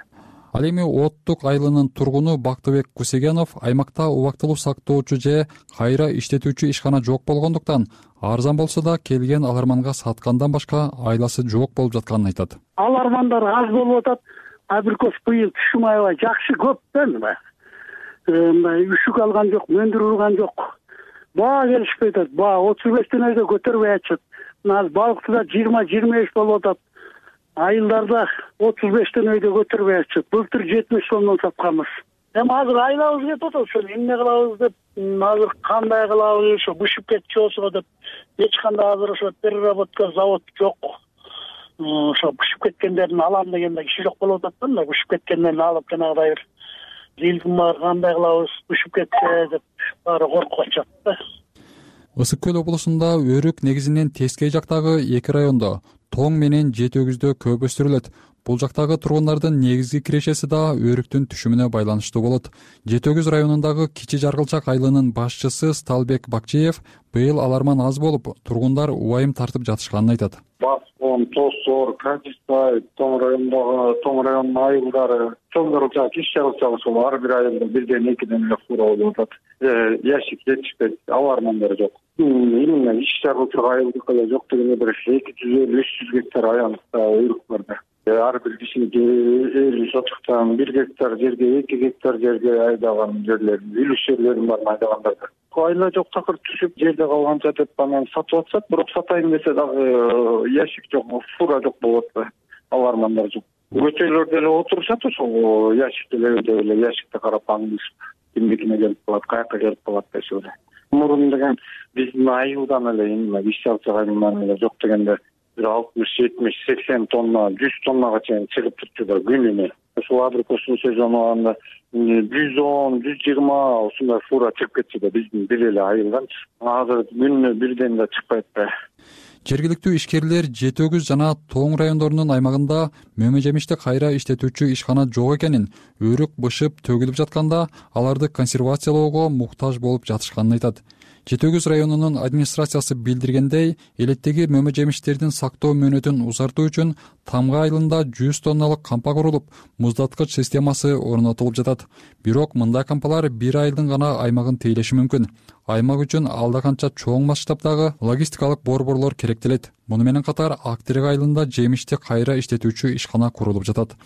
Ал эми Оттук айылынын тургуну Бактыбек Кусегенов аймакта убактылуу сактоочу же кайра иштетүүчү ишкана жок болгондуктан арзан болсо да келген аларманга саткандан башка айласы жок болуп жатканын айтат. Алармандар аз болуп атат. Абрикос быйыл түшүм аябай жакшы көп да мына. Үшүк алган жок, мөндүр урган жок. Баа келишпей атат. Баа 35 өйдө көтөрбөй атышат. Мына балыктыда 20-25 болуп атат. Айылдарда 35 өйдө көтөрбөй атышат. Былтыр 70 сомдон сатканбыз. Эми азыр айлабыз кетип атат, ошо эмне кылабыз деп, азыр кандай кылабыз, ошо бышып кетчү болсо деп, эч кандай азыр ошо переработка завод жок. Ошо бышып кеткендерин алам дегенде киши жок болуп атат да, бышып кеткендерин алып жанагыдай бир зилким бар, кандай кылабыз, бышып кетсе деп баары коркуп атышат да. Ысык көл облусунда өрүк негизинен Тескей жактагы 2 райондо, Тоң менен Жети Өгүздө көп өстүрүлөт. Бул жактагы тургундардын негизги кирешеси да өрүктүн түшүмүнө байланыштуу болот. Жети Өгүз районундагы Кичи Жаргылчак айылынын башчысы Сталбек Бакчиев быйыл аларман аз болуп, тургундар убайым тартып жатышканын айтат. Баасы Тосор, Катистай, Тоң районунун айылдары, чоң кырылчаак, иш чарылчак ошол ар бир айылда 1-2 эле фура болуп атат. Ящик жетишпейт, алармандар жок. Именно иш чарылчак айылдыкы да жок дегенде бир 250-300 гектар аянтта уйрук бар да. Ар бир кишинин эл сотуктан 1 гектар жерге, 2 гектар жерге айдаган жерлерин, үлүш жерлерин бар айдагандарда. Айла жок такыр түшүп, жерде калганча деп анан сатып атышат, бирок сатайын десе дагы ящик жок, фура жок болуп атпайбы, алармандар жок. Көчөлөрдө эле отурушат ошол ящикте эле ящикте карап аңдышып, кимдикине келип калат, каяка келип калат дешип эле. Мурун деген биздин айылдан эле эми иш чарылчак айылынан эле жок дегенде бир 60-70-80 тонна, 100 тоннага чейин чыгып турчу да күнүнө. Ошол абрикостун сезону алганда 110-120 ушундай фура чыгып кетчү да биздин бир эле айылдан. Азыр күнүнө бирден да чыкпайт да. Жергиликтүү ишкерлер Жети Өгүз жана Тоң райондорунун аймагында мөмө жемишти кайра иштетүүчү ишкана жок экенин, өрүк бышып төгүлүп жатканда аларды консервациялоого муктаж болуп жатышканын айтат. Жети Өгүз районунун администрациясы билдиргендей, элеттеги мөмө жемиштердин сактоо мөөнөтүн узартуу үчүн Тамга айылында 100 тонналык кампа курулуп, муздаткыч системасы орнотулуп жатат. Бирок мындай кампалар бир айылдын гана аймагын тейлеши мүмкүн. Аймак үчүн алда канча чоң масштабдагы логистикалык борборлор керектелет. Муну менен катар Актерек айылында жемишти кайра иштетүүчү ишкана курулуп жатат.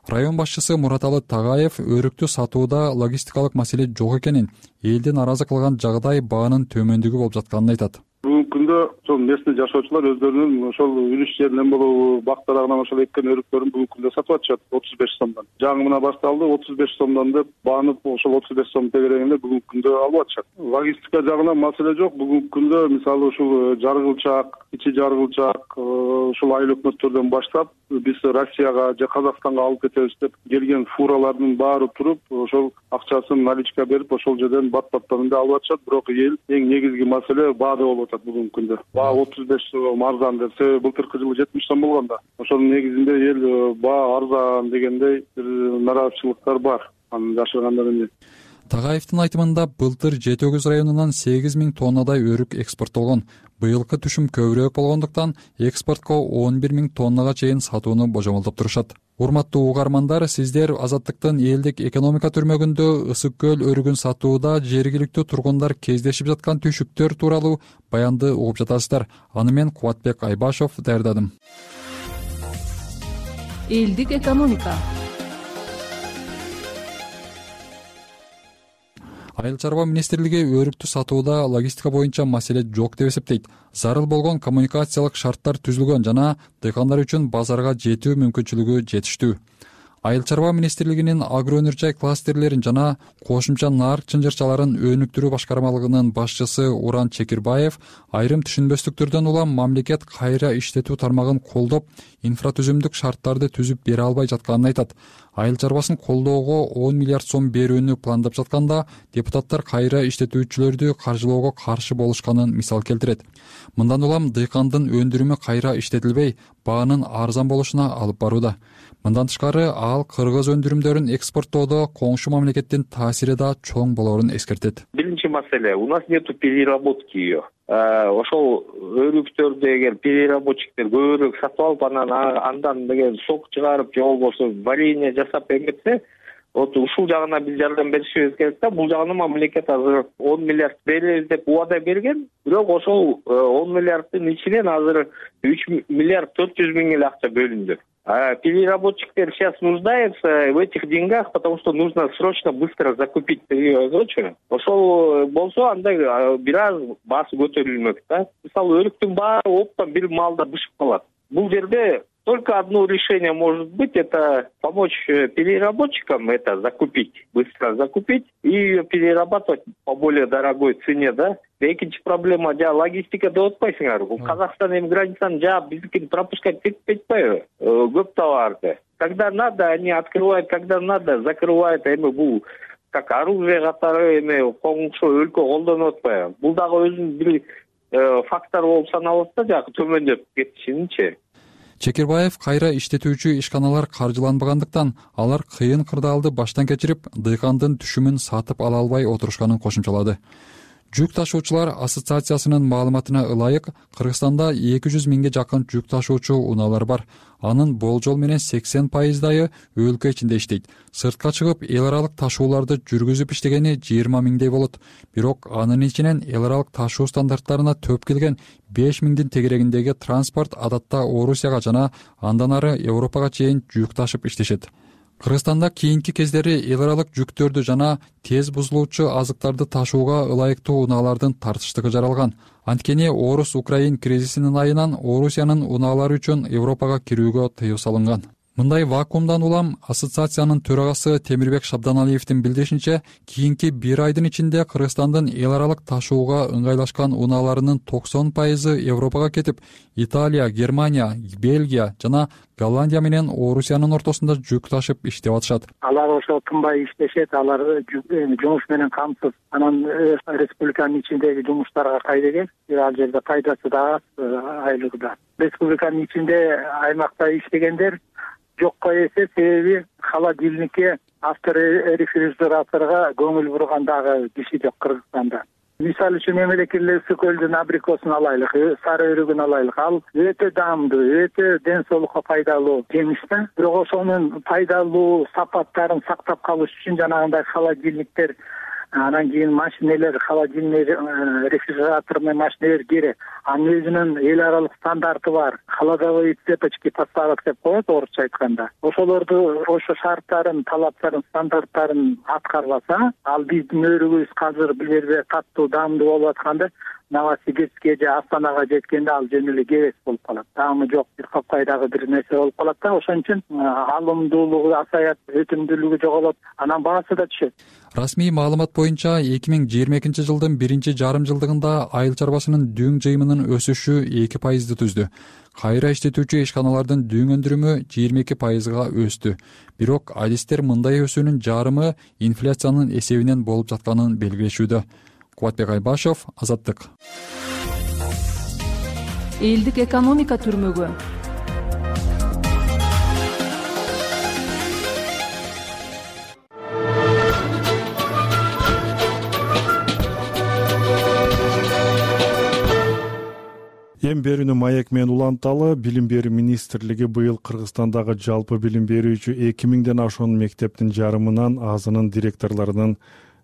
Район башчысы Мураталы Тагаев өрүктү сатууда логистикалык маселе жок экенин, элди нааразы кылган жагдай баанын төмөндүгү болуп жатканын айтат. Бүгүнкү күндө ошол местный жашоочулар өздөрүнүн ошол үлүш жеринен болобу, бак дарагынан ошол эккен өрүктөрүн бүгүнкү күндө сатып атышат 35 сомдон. Жаңы башталды 35 сомдон деп баанып ошол 35 сом тегерегинде бүгүнкү күндө алып атышат. Логистика жагынан маселе жок. Бүгүнкү күндө мисалы ушул жаргылчак, ичи жаргылчак ушул айыл өкмөттөрдөн баштап биз Россияга же Казакстанга алып кетебиз деп келген фуралардын баары туруп, ошол акчасын наличка берип, ошол жерден бат-баттан алып атышат. Бирок эл эң негизги маселе баада болуп атат бүгүнкү күндө. Баа 35 сом арзан деп, себеби былтыркы жылы 70 сом болгон да. Ошонун негизинде эл баа арзан дегендей бир нараазычылыктар бар. Анын жашыргандар эмне. Тагаевдин айтымында былтыр Жети Өгүз районунан 8000 тоннадай өрүк экспорттолгон. Быйылкы түшүм көбүрөөк болгондуктан экспортко 11000 тоннага чейин сатууну божомолдоп турушат. Урматтуу угармандар, сиздер Азаттыктын элдик экономика түрмөгүндө ысык көл өрүгүн сатууда жергиликтүү тургундар кездешип жаткан түйшүктөр тууралуу баянды угуп жатасыздар. Аны мен Кубатбек Айбашов даярдадым. Элдик экономика. Айыл чарба министрлиги өрүктү сатууда логистика боюнча маселе жок деп эсептейт. Зарыл болгон коммуникациялык шарттар түзүлгөн жана дыйкандар үчүн базарга жетүү мүмкүнчүлүгү жетиштүү. Айыл чарба министрлигинин агро өнөр жай кластерлерин жана кошумча нарк чынжырчаларын өнүктүрүү башкармалыгынын башчысы Уран Чекирбаев айрым түшүнбөстүктөрдөн улам мамлекет кайра иштетүү тармагын колдоп, инфратүзүмдүк шарттарды түзүп бере албай жатканын айтат. Айыл чарбасын колдоого 10 миллиард сом берүүнү пландап жатканда депутаттар кайра иштетүүчүлөрдү каржылоого каршы болушканын мисал келтирет. Мындан улам дыйкандын өндүрүмү кайра иштетилбей, баанын арзан болушуна алып барууда. Мындан тышкары ал кыргыз өндүрүмдөрүн экспорттоодо коңшу мамлекеттин таасири да чоң болоорун эскертет. Биринчи маселе, у нас нету переработки ее. Ошол өрүктөрдү эгер переработчиктер көбүрөөк сатып алып, андан деген сок чыгарып же болбосо варенье жасап эметсе, вот ушул жагына биз жардам беришибиз керек да. Бул жагына мамлекет азыр 10 миллиард беребиз деп убада берген, бирок ошол 10 миллиарддын ичинен азыр 3 миллиард 400 миң эле акча бөлүндү. Переработчиктер сейчас нуждаются в этих деньгах, потому что нужно срочно быстро закупить. Ошол болсо анда бир аз баасы көтөрүлмөк да. Мисалы өрүктүн баары оптом бир маалда бышып калат. Бул жерде только одно решение может быть, это помочь переработчикам это закупить, быстро закупить и ее перерабатывать по более дорогой цене, да. Экинчи проблема логистика деп атпайсыңар. Казакстан эми границаны жаап биздикини пропускать этип атпайбы? Көп товарды. Когда надо, они открывают, когда надо, закрывают. Эми бул как оружие катары эми коңшу өлкө колдонуп атпайбы? Бул дагы өзүнүн бир фактор болуп саналат да, жагы төмөндөп кетишинчи. Чекирбаев кайра иштетүүчү ишканалар каржыланбагандыктан алар кыйын кырдаалды баштан кечирип, дыйкандын түшүмүн сатып ала албай отурушканын кошумчалады. Жүк ташуучулар ассоциациясынын маалыматына ылайык Кыргызстанда 200 миңге жакын жүк ташуучу унаалар бар. Анын болжол менен 80%дайы өлкө ичинде иштейт. Сыртка чыгып эл аралык ташууларды жүргүзүп иштегени 20 миңдей болот. Бирок анын ичинен эл аралык ташуу стандарттарына төп келген 5 миңдин тегерегиндеги транспорт адатта Орусияга жана андан ары Европага чейин жүк ташып иштешет. Кыргызстанда кийинки кездери эл аралык жүктөрдү жана тез бузулуучу азыктарды ташууга ылайыктуу унаалардын тартыштыгы жаралган. Анткени Орус-Украин кризисинин айынан Орусиянын унаалары үчүн Европага кирүүгө тыюу салынган. Мындай вакуумдан улам ассоциациянын төрагасы Темирбек Шабданалиевдин билдиришинче, кийинки 1 айдын ичинде Кыргызстандын эл аралык ташууга ыңгайлашкан унааларынын 90% Европага кетип, Италия, Германия, Бельгия жана Голландия менен Орусиянын ортосунда жүк ташып иштеп атышат. Алар ошо тынбай иштешет, алар жумуш менен камсыз. Анан республиканын ичиндеги жумуштарга кайдыгер, ал жерде пайдасы да аз, айлыгы да. Республиканын ичинде аймакта иштегендер жокко эсе, себеби холодильникке, авторефрижераторго көңүл бурган дагы киши жок Кыргызстанда. Мисалы үчүн мемлекеттик ысык көлдүн абрикосун алайлык, сары өрүгүн алайлык. Ал өтө даамдуу, өтө ден соолукка пайдалуу жемиш да. Бирок ошонун пайдалуу сапаттарын сактап калыш үчүн жанагындай холодильниктер, анан кийин машинелер, холодильник, рефрижераторный машинелер керек. Анын өзүнүн эл аралык стандарты бар. Холодовые цепочки поставок деп коет орусча айтканда. Ошолорду, ошо шарттарын, талаптарын, стандарттарын аткарбаса, ал биздин өрүгүбүз азыр бул жерде катуу даамдуу болуп атканда, Новосибирскке же Астанага жеткенде ал жөн эле кебес болуп калат. Даамы жок, бир капкайдагы бир нерсе болуп калат да. Ошон үчүн алымдуулугу азаят, өтүмдүүлүгү жоголот, анан баасы да түшөт. Расмий маалымат боюнча 2022 жылдын 1-жарым жылдыгында айыл чарбасынын дүң жыйымынын өсүшү 2%ды түздү. Кайра иштетүүчү ишканалардын дүң өндүрүмү 22%га өстү. Бирок адистер мындай өсүүнүн жарымы инфляциянын эсебинен болуп жатканын белгилешүүдө. Кубатбек Айбашев, Азаттык. Элдик экономика түрмөгү. Эң берүүнү маек менен уланталы, Билим берүү министрлиги быйыл Кыргызстандагы жалпы билим берүүчү 2000ден ашуун мектептин жарымынан азынын директорлорунун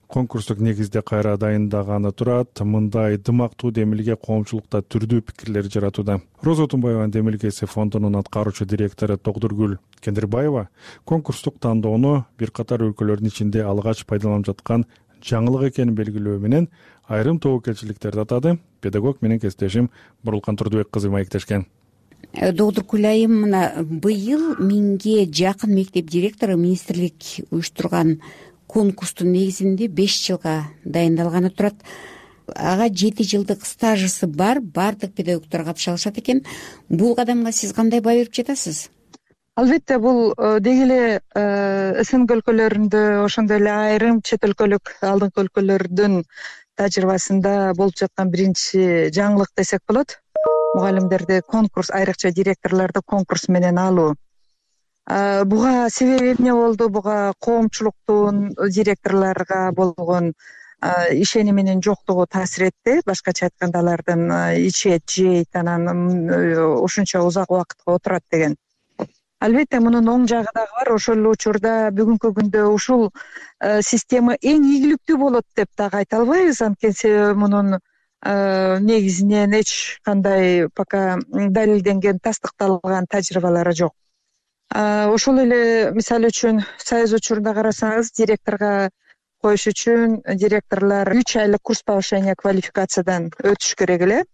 конкурстук негизде кайра дайындаганы турат. Мындай дымактуу демилге коомчулукта түрдүү пикирлер жаратууда. Роза Тумбаеванын демилгеси фондунун аткаруучу директору Тогдургүл Кендирбаева конкурстук тандоону бир катар өлкөлөрдүн ичинде алгач пайдаланып жаткан жаңылык экенин белгилөө менен айрым тобокелчиликтерди атады. Педагог менен кесиптешим Бурулкан Турдубек кызы маектешкен. Догдуркүл айым, мына быйыл 1000ге жакын мектеп директору министрлик уюштурган конкурстун негизинде 5 жылга дайындалганы турат. Ага 7 жылдык стажысы бар бардык педагогдор катыша алышат экен. Бул кадамга сиз кандай баа берип жатасыз? Албетте, бул деги эле СНГ өлкөлөрүндө, ошондой эле айрым чет өлкөлүк алдыңкы өлкөлөрдүн тажрыйбасында болуп жаткан биринчи жаңылык десек болот. Мугалимдерди конкурс, айрыкча директорлорду конкурс менен алуу. Буга себеби эмне болду? Буга коомчулуктун директорлорго болгон ишениминин жоктугу таасир этти. Башкача айтканда, алардын ичет, жейт, анан ушунча узак убакытка отурат деген. Албетте, мунун оң жагы дагы бар. Ошол эле учурда бүгүнкү күндө ушул система эң ийгиликтүү болот деп дагы айта албайбыз. Анткени мунун негизинен эч кандай пока далилденген, тастыкталган тажрыйбалары жок. Ошол эле мисалы үчүн Союз учурунда карасаңыз, директорго коюш үчүн директорлор 3 айлык курс повышения квалификациядан өтүш керек эле.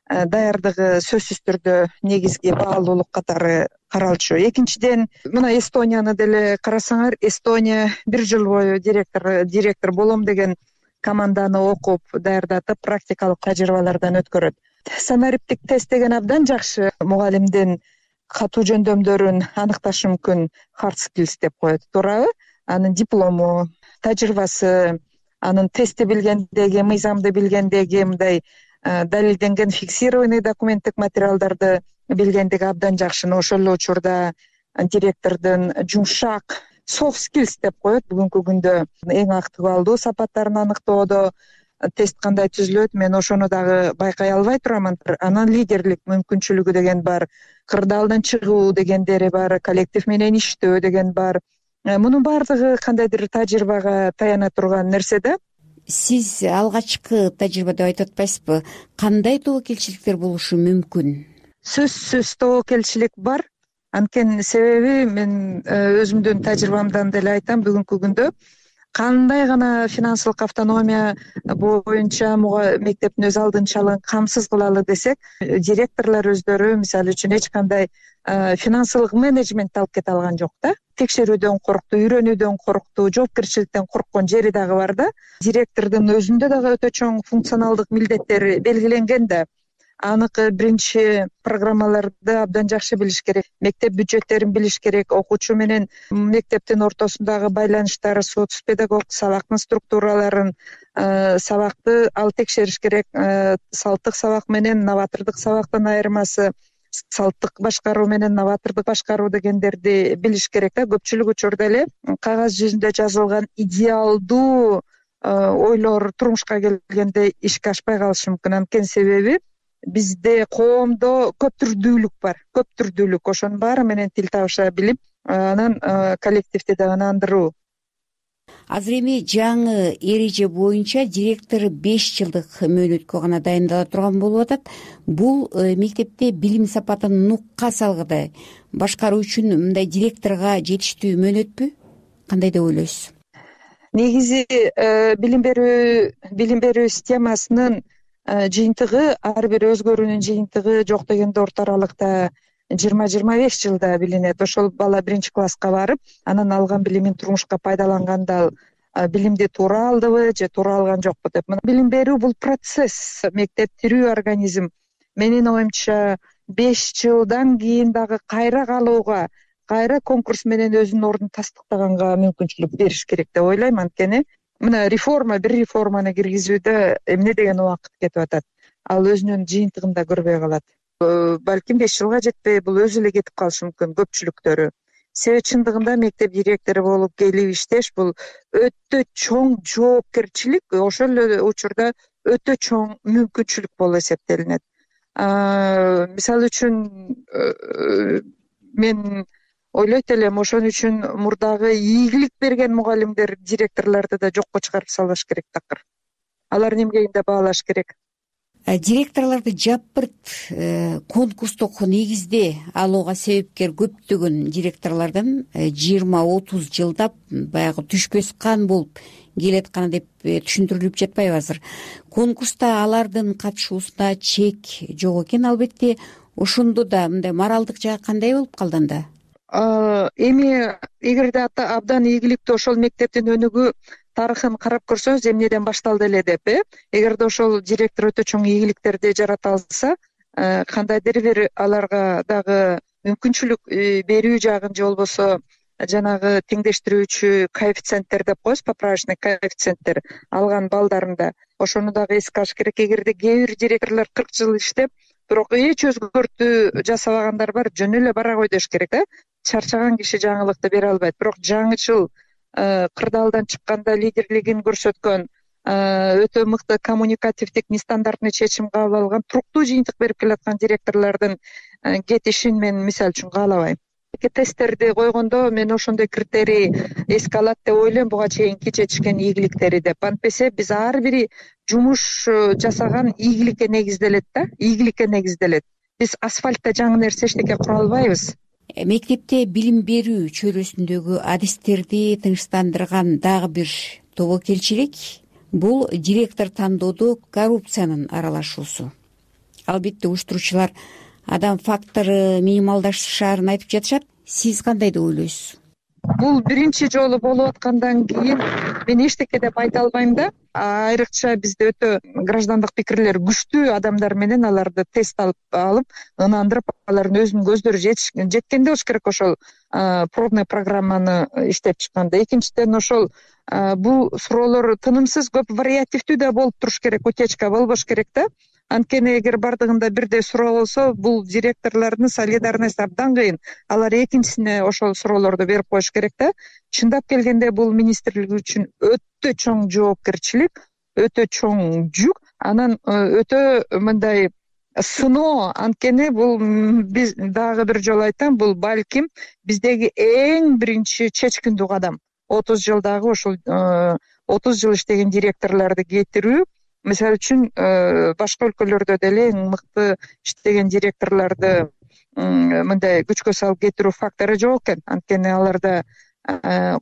Даярдыгы сөзсүз түрдө негизги баалуулук катары каралчу. Экинчиден, мына Эстонияны деле карасаңар, Эстония 1 жыл бою директор болом деген команданы окуп, даярдатып, практикалык тажрыйбалардан өткөрөт. Санариптик тест деген абдан жакшы мугалимдин катуу жөндөмдөрүн аныкташы мүмкүн, hard skills деп коет, туурабы? Анын диплому, тажрыйбасы, анын тестти билгендеги, мыйзамды билгендеги, мындай далилденген фиксированный документтик материалдарды билгендиги абдан жакшы. Ошол эле учурда директордун жумшак soft skills деп коет бүгүнкү күндө эң актуалдуу сапаттарын аныктоодо тест кандай түзүлөт, мен ошону дагы байкай албай турамын. Анан лидерлик мүмкүнчүлүгү деген бар, кырдаалдан чыгуу дегендери бар, коллектив менен иштөө деген бар. Мунун баардыгы кандайдыр тажрыйбага таяна турган нерсе да. Сиз алгачкы тажрыйба деп айтып атпайсызбы? Кандай тобокелчиликтер болушу мүмкүн? Сөзсүз тобокелчилик бар. Анткени себеби мен өзүмдүн тажрыйбамдан деле айтам, бүгүнкү күндө кандай гана финансылык автономия боюнча мектептин өз алдынчалыгын камсыз кылалы десек, директорлор өздөрү мисалы үчүн эч кандай финансылык менеджмент алып кете алган жок да. Текшерүүдөн коркту, үйрөнүүдөн коркту, жоопкерчиликтен корккон жери дагы бар да. Директордун өзүндө дагы өтө чоң функционалдык милдеттери белгиленген да. Аныкы биринчи программаларды абдан жакшы билиш керек, мектеп бюджеттерин билиш керек, окуучу менен мектептин ортосундагы байланыштар, соц-педагог, сабактын структураларын, сабакты ал текшериш керек, салттык сабак менен новатордук сабактын айырмасы, салттык башкаруу менен новатордук башкаруу дегендерди билиш керек да. Көпчүлүк учурда эле кагаз жүзүндө жазылган идеалдуу ойлор турмушка келгенде ишке ашпай калышы мүмкүн. Анткени себеби бизде коомдо көптүрдүүлүк бар, көптүрдүүлүк. Ошонун баары менен тил табыша билип, анан коллективди дагы ынандыруу. Азыр эми жаңы эреже боюнча директор 5 жылдык мөөнөткө гана дайындала турган болуп атат. Бул мектепте билим сапатын нукка салгыдай башкаруу үчүн мындай директорго жетиштүү мөөнөтпү? Кандай деп ойлойсуз? Негизи билим берүү системасынын жыйынтыгы, ар бир өзгөрүүнүн жыйынтыгы жок дегенде орто аралыкта 20-25 жылда билинет. Ошол бала биринчи класска барып, анан алган билимин турмушка пайдаланганда билимди туура алдыбы же туура алган жокпу деп. Билим берүү бул процесс, мектеп тирүү организм. Менин оюмча 5 жылдан кийин дагы кайра калууга, кайра конкурс менен өзүнүн ордун тастыктаганга мүмкүнчүлүк бериш керек деп ойлойм. Анткени мына бир реформаны киргизүүдө эмне деген убакыт кетип атат. Ал өзүнүн жыйынтыгын да көрбөй калат. Балким 5 жылга жетпей, бул өзү эле кетип калышы мүмкүн көпчүлүктөрү. Себеби чындыгында мектеп директору болуп келип иштеш бул өтө чоң жоопкерчилик, ошол эле учурда өтө чоң мүмкүнчүлүк болуп эсептелинет. Мисалы үчүн мен ойлойт элем, ошон үчүн мурдагы ийгилик берген мугалимдер, директорлорду да жокко чыгарып салыш керек такыр. Алар эмгегинде баалаш керек. Директорлорду жапырт конкурстук негизде алууга себепкер көптөгөн директорлордон 20-30 жылдап баягы түшпөс кан болуп келатканы деп түшүндүрүлүп жатпайбы азыр? Конкурста алардын катышуусуна чек жок экен албетте. Ошондо да мындай моралдык жагы кандай болуп калды анда? Эми эгерде абдан ийгиликтүү ошол мектептин өнүгүү тарыхын карап көрсөңүз, эмнеден башталды эле деп, эгерде ошол директор өтө чоң ийгиликтерди жарата алса, кандайдыр бир аларга дагы мүмкүнчүлүк берүү жагын же болбосо жанагы теңдештирүүчү коэффициенттер деп коебуз, поправочный коэффициенттер алган балдарында ошону дагы эске алыш керек. Эгерде кээ бир директорлор 40 жыл иштеп, бирок эч өзгөртүү жасабагандар бар, жөн эле бара кой деш керек да. Чарчаган киши жаңылыкты бере албайт. Бирок жаңычыл, кырдаалдан чыкканда лидерлигин көрсөткөн, өтө мыкты коммуникативдик, нестандартный чечим кабыл алган, туруктуу жыйынтык берип келаткан директорлордун кетишин мен мисалы үчүн каалабайм. Тесттерди койгондо мен ошондой критерий эске алат деп ойлойм, буга чейинки жетишкен ийгиликтери деп. Антпесе биз ар бири жумуш жасаган ийгиликке негизделет да, ийгиликке негизделет. Биз асфальтта жаңы нерсе эчтеке кура албайбыз. Мектепте билим берүү чөйрөсүндөгү адистерди тынчтандырган дагы бир тобокелчилик бул директор тандоодо коррупциянын аралашуусу. Албетте уюштуруучулар адам фактору минималдашаарын айтып жатышат. Сиз кандай деп ойлойсуз? Бул биринчи жолу болуп аткандан кийин мен эчтеке деп айта албайм да. Айрыкча бизде өтө граждандык пикирлер күчтүү адамдар менен аларды тест алып, ынандырып, алардын өзүнүн көздөрү жеткенде болуш керек ошол пробный программаны иштеп чыкканда. Экинчиден, ошол бул суроолор тынымсыз, көп вариативдүү да болуп туруш керек, утечка болбош керек да. Анткени эгер бардыгында бирдей суроо болсо, бул директорлордун солидарность абдан кыйын. Алар экинчисине ошол суроолорду берип коюш керек да. Чындап келгенде бул министрлик үчүн өтө чоң жоопкерчилик. өтө чоң жүк, анан өтө мындай сыноо. Анткени бул биз дагы бир жолу айтам, бул балким биздеги эң биринчи чечкиндүү кадам. 30 жылдагы ушул 30 жыл иштеген директорлорду кетирүү, мисалы үчүн башка өлкөлөрдө деле эң мыкты иштеген директорлорду мындай күчкө салып кетирүү фактору жок экен. Анткени аларда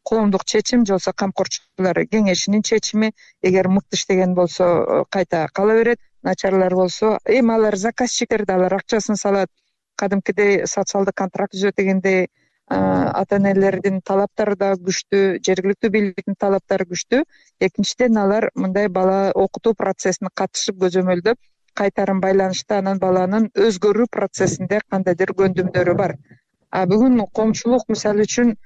коомдук чечим же болбосо камкорчулар кеңешинин чечими, эгер мыкты иштеген болсо кайта кала берет, начарлар болсо эми алар заказчиктерди, алар акчасын салат. Кадимкидей социалдык контракт түзөт дегендей ата-энелердин талаптары да күчтүү, жергиликтүү бийликтин талаптары күчтүү. Экинчиден алар мындай бала окутуу процессине катышып көзөмөлдөп кайтарым байланышта анан баланын өзгөрүү процессинде кандайдыр көндүмдөрү бар. Бүгүн коомчулук мисалы үчүн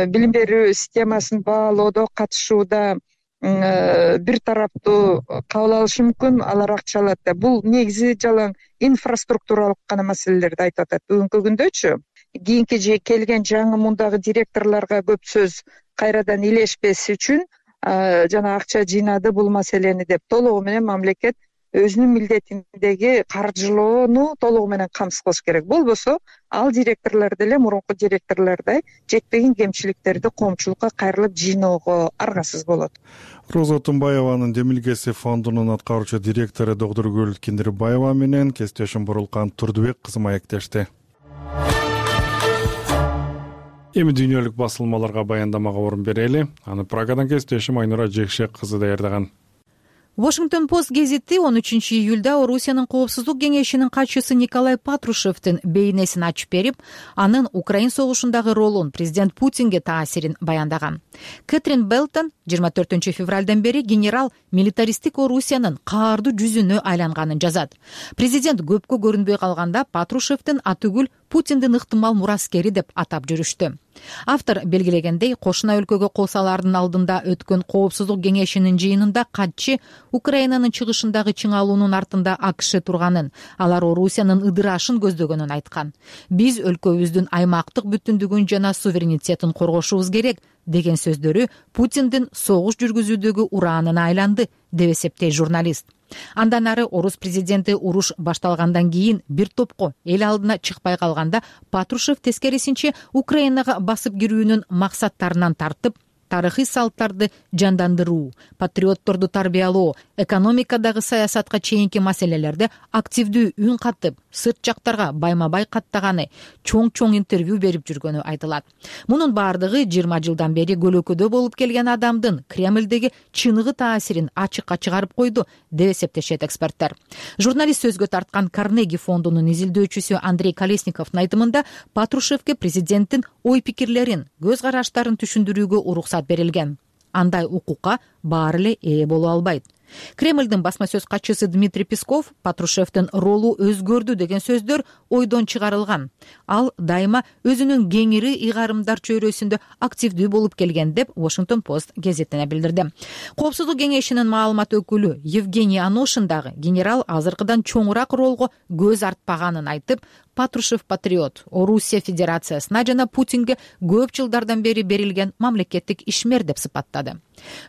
билим берүү системасын баалоодо, катышууда бир тараптуу кабыл алышы мүмкүн, алар акча алат деп. Бул негизи жалаң инфраструктуралык гана маселелерди айтып атат. Бүгүнкү күндөчү кийинки келген жаңы мундагы директорлорго көп сөз кайрадан илешпес үчүн жана акча жыйнады бул маселени деп толугу менен мамлекет өзүнүн милдетиндеги каржылоону толугу менен камсыз кылыш керек. Болбосо ал директорлор деле мурунку директорлордой жетпеген кемчиликтерди коомчулукка кайрылып жыйноого аргасыз болот. Роза Тумбаеванын Демилгеси фондунун аткаруучу директору Докторгүл Киндирбаева менен кесиптешим Бурулкан Турдубек кызы маектешти. Эми дүйнөлүк басылмаларга баяндамага орун берели. Аны Прагадан кесиптешим Айнура Жекшек кызы даярдаган. Washington Post гезити 13 июлда Орусиянын коопсуздук кеңешинин катчысы Николай Патрушевдин бейнесин ачып берип, анын Украин согушундагы ролун президент Путинге таасирин баяндаган. Кэтрин Белтон 24 февралдан бери генерал милитаристтик Орусиянын каардуу жүзүнө айланганын жазат. Президент көпкө көрүнбөй калганда Патрушевдин атүгүл Путиндин ыктымал мураскери деп атап жүрүштү. Автор белгилегендей, кошуна өлкөгө кол салаардын алдында өткөн коопсуздук кеңешинин жыйынында катчы Украинанын чыгышындагы чыңалуунун артында АКШ турганын, алар Орусиянын ыдырашын көздөгөнүн айткан. Биз өлкөбүздүн аймактык бүтүндүгүн жана суверенитетин коргошубуз керек деген сөздөрү Путиндин согуш жүргүзүүдөгү ураанына айланды, деп эсептейт журналист. Андан ары орус президенти уруш башталгандан кийин бир топко эл алдына чыкпай калганда Патрушев тескерисинче Украинага басып кирүүнүн максаттарынан тартып, тарыхый салттарды жандандыруу, патриотторду тарбиялоо, экономикадагы саясатка чейинки маселелерде активдүү үн катып, сырт жактарга байма-бай каттаганы, чоң интервью берип жүргөнү айтылат. Мунун баардыгы 20 жылдан бери көлөкөдө болуп келген адамдын Кремлдеги чыныгы таасирин ачыкка чыгарып койду, деп эсептешет эксперттер. Журналист сөзгө тарткан Карнеги фондунун изилдөөчүсү Андрей Колесниковдун айтымында Патрушевге президенттин ой-пикирлерин, көз караштарын түшүндүрүүгө уруксат берилген. Андай укукка баары эле ээ боло албайт. Кремлдин басма сөз катчысы Дмитрий Песков Патрушевдин ролу өзгөрдү деген сөздөр ойдон чыгарылган. Ал дайыма өзүнүн кеңири ыйгарымдар чөйрөсүндө активдүү болуп келген деп Washington Post гезитине билдирди. Коопсуздук кеңешинин маалымат өкүлү Евгений Аношин дагы генерал азыркыдан чоңураак ролго көз артпаганын айтып, Патрушев патриот, Орусия Федерациясына жана Путинге көп жылдардан бери берилген мамлекеттик ишмер деп сыпаттады.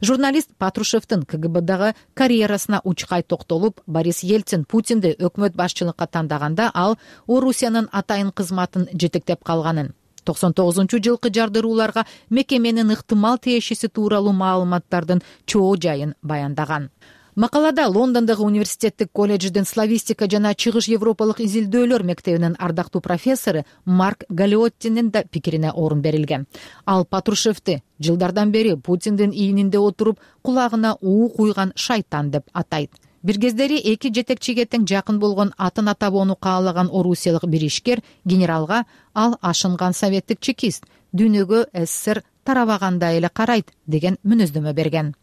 Журналист Патрушевдин КГБдагы карьерасына учкай токтолуп, Борис Ельцин Путинди өкмөт башчылыкка тандаганда ал Орусиянын атайын кызматын жетектеп калганын, 99-жылкы жардырууларга мекеменин ыктымал тиешеси тууралуу маалыматтардын чоо жайын баяндаган. Макалада Лондондогу университеттик колледждин славистика жана чыгыш европалык изилдөөлөр мектебинин ардактуу профессору Марк Галиоттинин да пикирине орун берилген. Ал Патрушевди жылдардан бери Путиндин ийининде отуруп, кулагына уу куйган шайтан деп атайт. Бир кездери эки жетекчиге тең жакын болгон атын атабоону каалаган орусиялык бир ишкер генералга ал ашынган советтик чекист, дүйнөгө СССР тарабагандай эле карайт деген мүнөздөмө берген.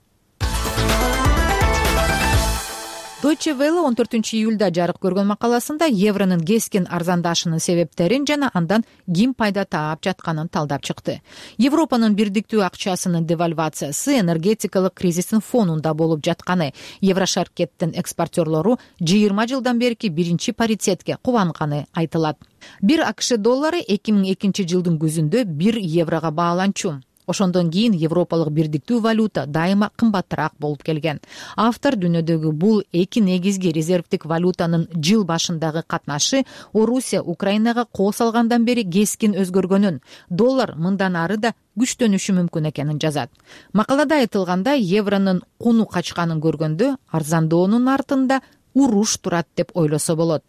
Deutsche Welle 14 июлда жарык көргөн макаласында евронун кескин арзандашынын себептерин жана андан ким пайда таап жатканын талдап чыкты. Европанын бирдиктүү акчасынын девальвациясы энергетикалык кризистин фонунда болуп жатканы, Еврошаркеттин экспортерлору 20 жылдан берки биринчи паритетке кубанганы айтылат. Бир АКШ доллары 2002 жылдын күзүндө 1 еврого бааланчу. Ошондон кийин европалык бирдиктүү валюта дайыма кымбатыраак болуп келген. Автор дүйнөдөгү бул эки негизги резервдик валютанын жыл башындагы катнашы Орусия Украинага кол салгандан бери кескин өзгөргөнүн, доллар мындан ары да күчтөнүшү мүмкүн экенин жазат. Макалада айтылгандай, евронун куну качканын көргөндө арзандоонун артында уруш турат деп ойлосо болот.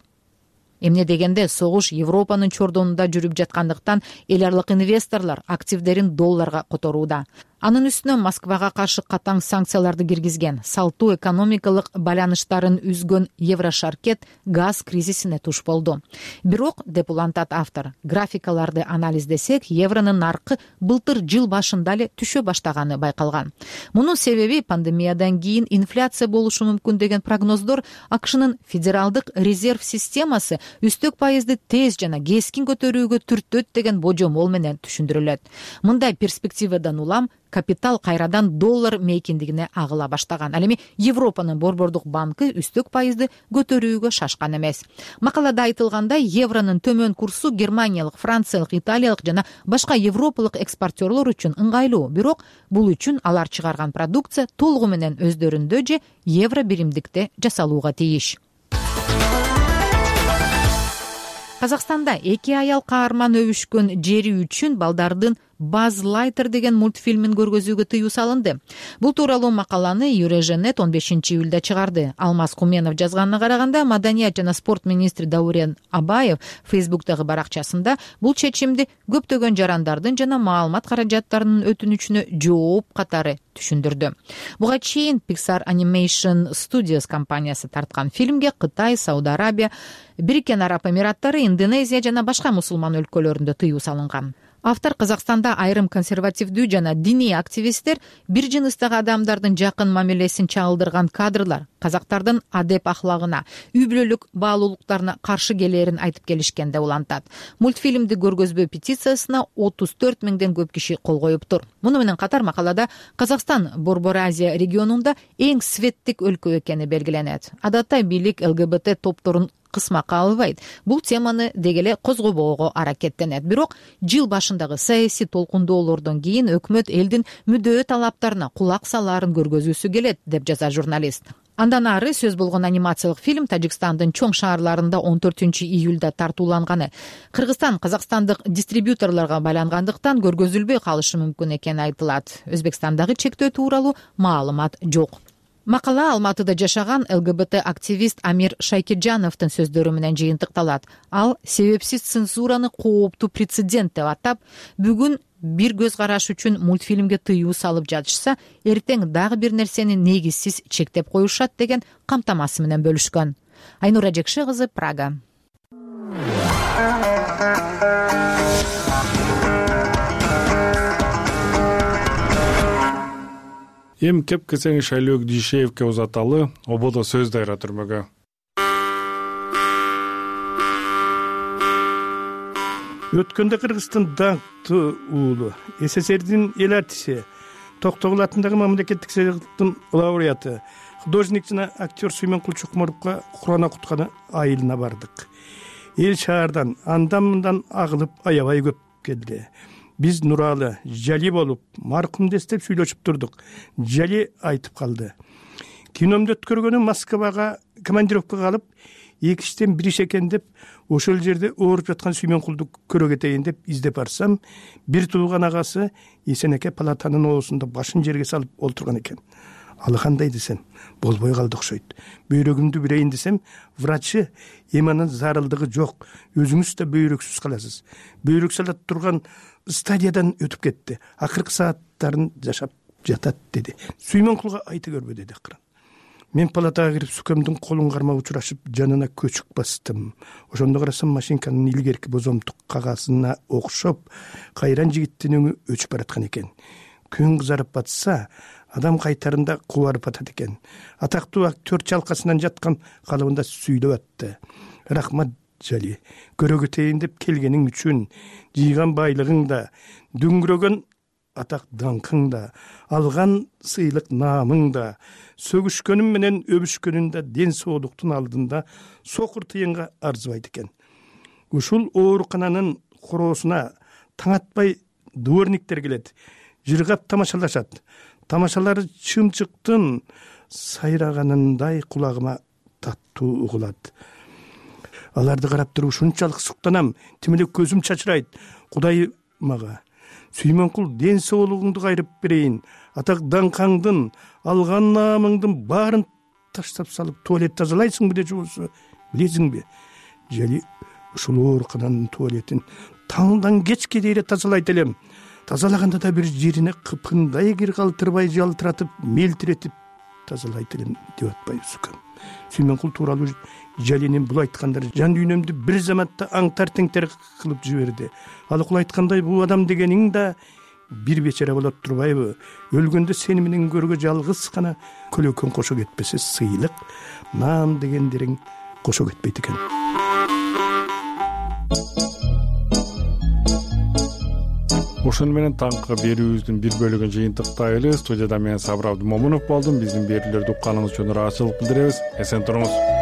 Эмне дегенде, согуш Европанын чордонунда жүрүп жаткандыктан эл аралык инвесторлор активдерин долларга которууда. Анын үстүнө Москвага каршы катаң санкцияларды киргизген, салтуу экономикалык байланыштарын үзгөн Еврошаркет газ кризисине туш болду. Бирок, деп улантат автор, графикаларды анализдесек, евронун наркы былтыр жыл башында эле түшө баштаганы байкалган. Мунун себеби пандемиядан кийин инфляция болушу мүмкүн деген прогноздор АКШнын федералдык резерв системасы үстөк пайызды тез жана кескин көтөрүүгө түртөт деген божомол менен түшүндүрүлөт. Мындай перспективадан улам капитал кайрадан доллар мейкиндигине агыла баштаган. Ал эми Европанын борбордук банкы үстөк пайызды көтөрүүгө шашкан эмес. Макалада айтылгандай, евронун төмөн курсу германиялык, франциялык, италиялык жана башка европалык экспортерлор үчүн ыңгайлуу. Бирок бул үчүн алар чыгарган продукция толугу менен өздөрүндө же евро биримдикте жасалууга тийиш. Казакстанда эки аял каарман өбүшкөн жери үчүн балдардын Buzz Lightyear деген мультфильмин көргөзүүгө тыюу салынды. Бул тууралуу макаланы Юреженет 15 июлда чыгарды. Алмаз Куменов жазганына караганда, маданият жана спорт министри Даурен Абаев Facebook'тагы баракчасында бул чечимди көптөгөн жарандардын жана маалымат каражаттарынын өтүнүчүнө жооп катары түшүндүрдү. Буга чейин Pixar Animation Studios компаниясы тарткан фильмге Кытай, Сауд Арабия, Бириккен Араб Эмираттары, Индонезия жана башка мусулман өлкөлөрүндө тыюу салынган. Автор Казакстанда айрым консервативдүү жана диний активисттер бир жыныстагы адамдардын жакын мамилесин чагылдырган кадрлар казактардын адеп ахлагына, үй бүлөлүк баалуулуктарына каршы келээрин айтып келишкен деп улантат. Мультфильмди көргөзбөө петициясына 34 миңден көп киши кол коюптур. Муну менен катар макалада Казакстан Борбор Азия регионунда эң светтик өлкө экени белгиленет. Адатта бийлик ЛГБТ топторун кысмакка албайт. Бул теманы дегеле козгобоого аракеттенет. Бирок жыл башындагы саясий толкундоолордон кийин өкмөт элдин мүдөө талаптарына кулак салаарын көргөзүүсү келет, деп жазат журналист. Андан ары сөз болгон анимациялык фильм Тажикстандын чоң шаарларында 14 июлда тартууланганы. Кыргызстан казакстандык дистрибьюторлорго байлангандыктан көргөзүлбөй калышы мүмкүн экени айтылат. Өзбекстандагы чектөө тууралуу маалымат жок. Макала Алматыда жашаган ЛГБТ активист Амир Шайкиджановдун сөздөрү менен жыйынтыкталат. Ал себепсиз цензураны кооптуу прецедент деп атап, бүгүн бир көз караш үчүн мультфильмге тыюу салып жатышса, эртең дагы бир нерсени негизсиз чектеп коюшат деген камтамасы менен бөлүшкөн. Айнура Жекши кызы, Прага. Эм кеп-кесең Шайлөөк Дүйшеевке узаталы ободо сөз дайра түрмөгө. Өткөндө Кыргыздын даңктуу уулу, СССРдин эл артиси, Токтогул атындагы мамлекеттик сыйлыктын лауреаты, художник жана актер Сүймөнкул Чокморовго Курана кутканы айылына бардык. Эл шаардан андан-мындан агылып аябай көп келди. Биз Нуралы, Жали болуп, маркумду эстеп сүйлөшүп турдук. Жали айтып калды. Киномду өткөргөнү Москвага командировкага алып, экиштен бир иш экен деп, ошол жерде ооруп жаткан Сүймөнкулду көрө кетейин деп издеп барсам, бир туулган агасы Эсенеке палатанын оосунда башын жерге салып олтурган экен. Ал кандай десем, болбой калды окшойт. Бөйрөгүмдү бирейин десем, врачы эми анын зарылдыгы жок. Өзүңүз да бөйрөксүз каласыз. Бөйрөк салат турган стадиядан өтүп кетти. Акыркы сааттарын жашап жатат деди. Сүймөнкулга айта көрбө деди акырын. Мен палатага кирип Сүкөмдүн колун кармап учурашып, жанына көчүк бастым. Ошондо карасам машинканын илгерки бозомтук кагазына окшоп, кайран жигиттин өңү өчүп бараткан экен. Күн кызарып батса, адам кайтарында кубарып атат экен. Атактуу актер чалкасынан жаткан калыбында сүйлөп атты. Рахмат Жали, көрө кетейин деп келгениң үчүн, жыйган байлыгың да, дүңгүрөгөн атак даңкың да, алган сыйлык наамың да, сөгүшкөнүм менен өбүшкөнүн да ден соолуктун алдында сокур тыйынга арзыбайт экен. Ушул оорукананын короосуна таң атпай дворниктер келет. жыргап тамашалашат. Тамашалары чымчыктын сайраганындай кулагыма таттуу угулат. Аларды карап туруп ушунчалык суктанам, тим эле көзүм чачырайт. Кудай мага Сүймөнкул ден соолугуңду кайрып берейин, атак даңкаңдын, алган наамыңдын баарын таштап салып туалет тазалайсыңбы же жобосу билесиңби? Жали ушул оорукананын туалетин таңдан кечке дейре тазалайт элем. Тазалаганда да бир жерине кыпкындай кир калтырбай жалтыратып, мелтиретип тазалайт элем деп атпайбызбы? Сүймөнкул тууралуу Жалинин бул айткандары жан дүйнөмдү бир заматта аңтар теңтер кылып жиберди. Ал укул айткандай бул адам дегениң да бир бечара болот турбайбы? Өлгөндө сени менен көргө жалгыз гана көлөкөң кошо кетпесе, сыйлык, наам дегендериң кошо кетпейт экен. Ошону менен таңкы берүүбүздүн бир бөлүгүн жыйынтыктайлы. Студияда мен Сабыр Абдымомунов болдум. Биздин берүүлөрдү укканыңыз үчүн ыраазычылык билдиребиз. Эсен туруңуз.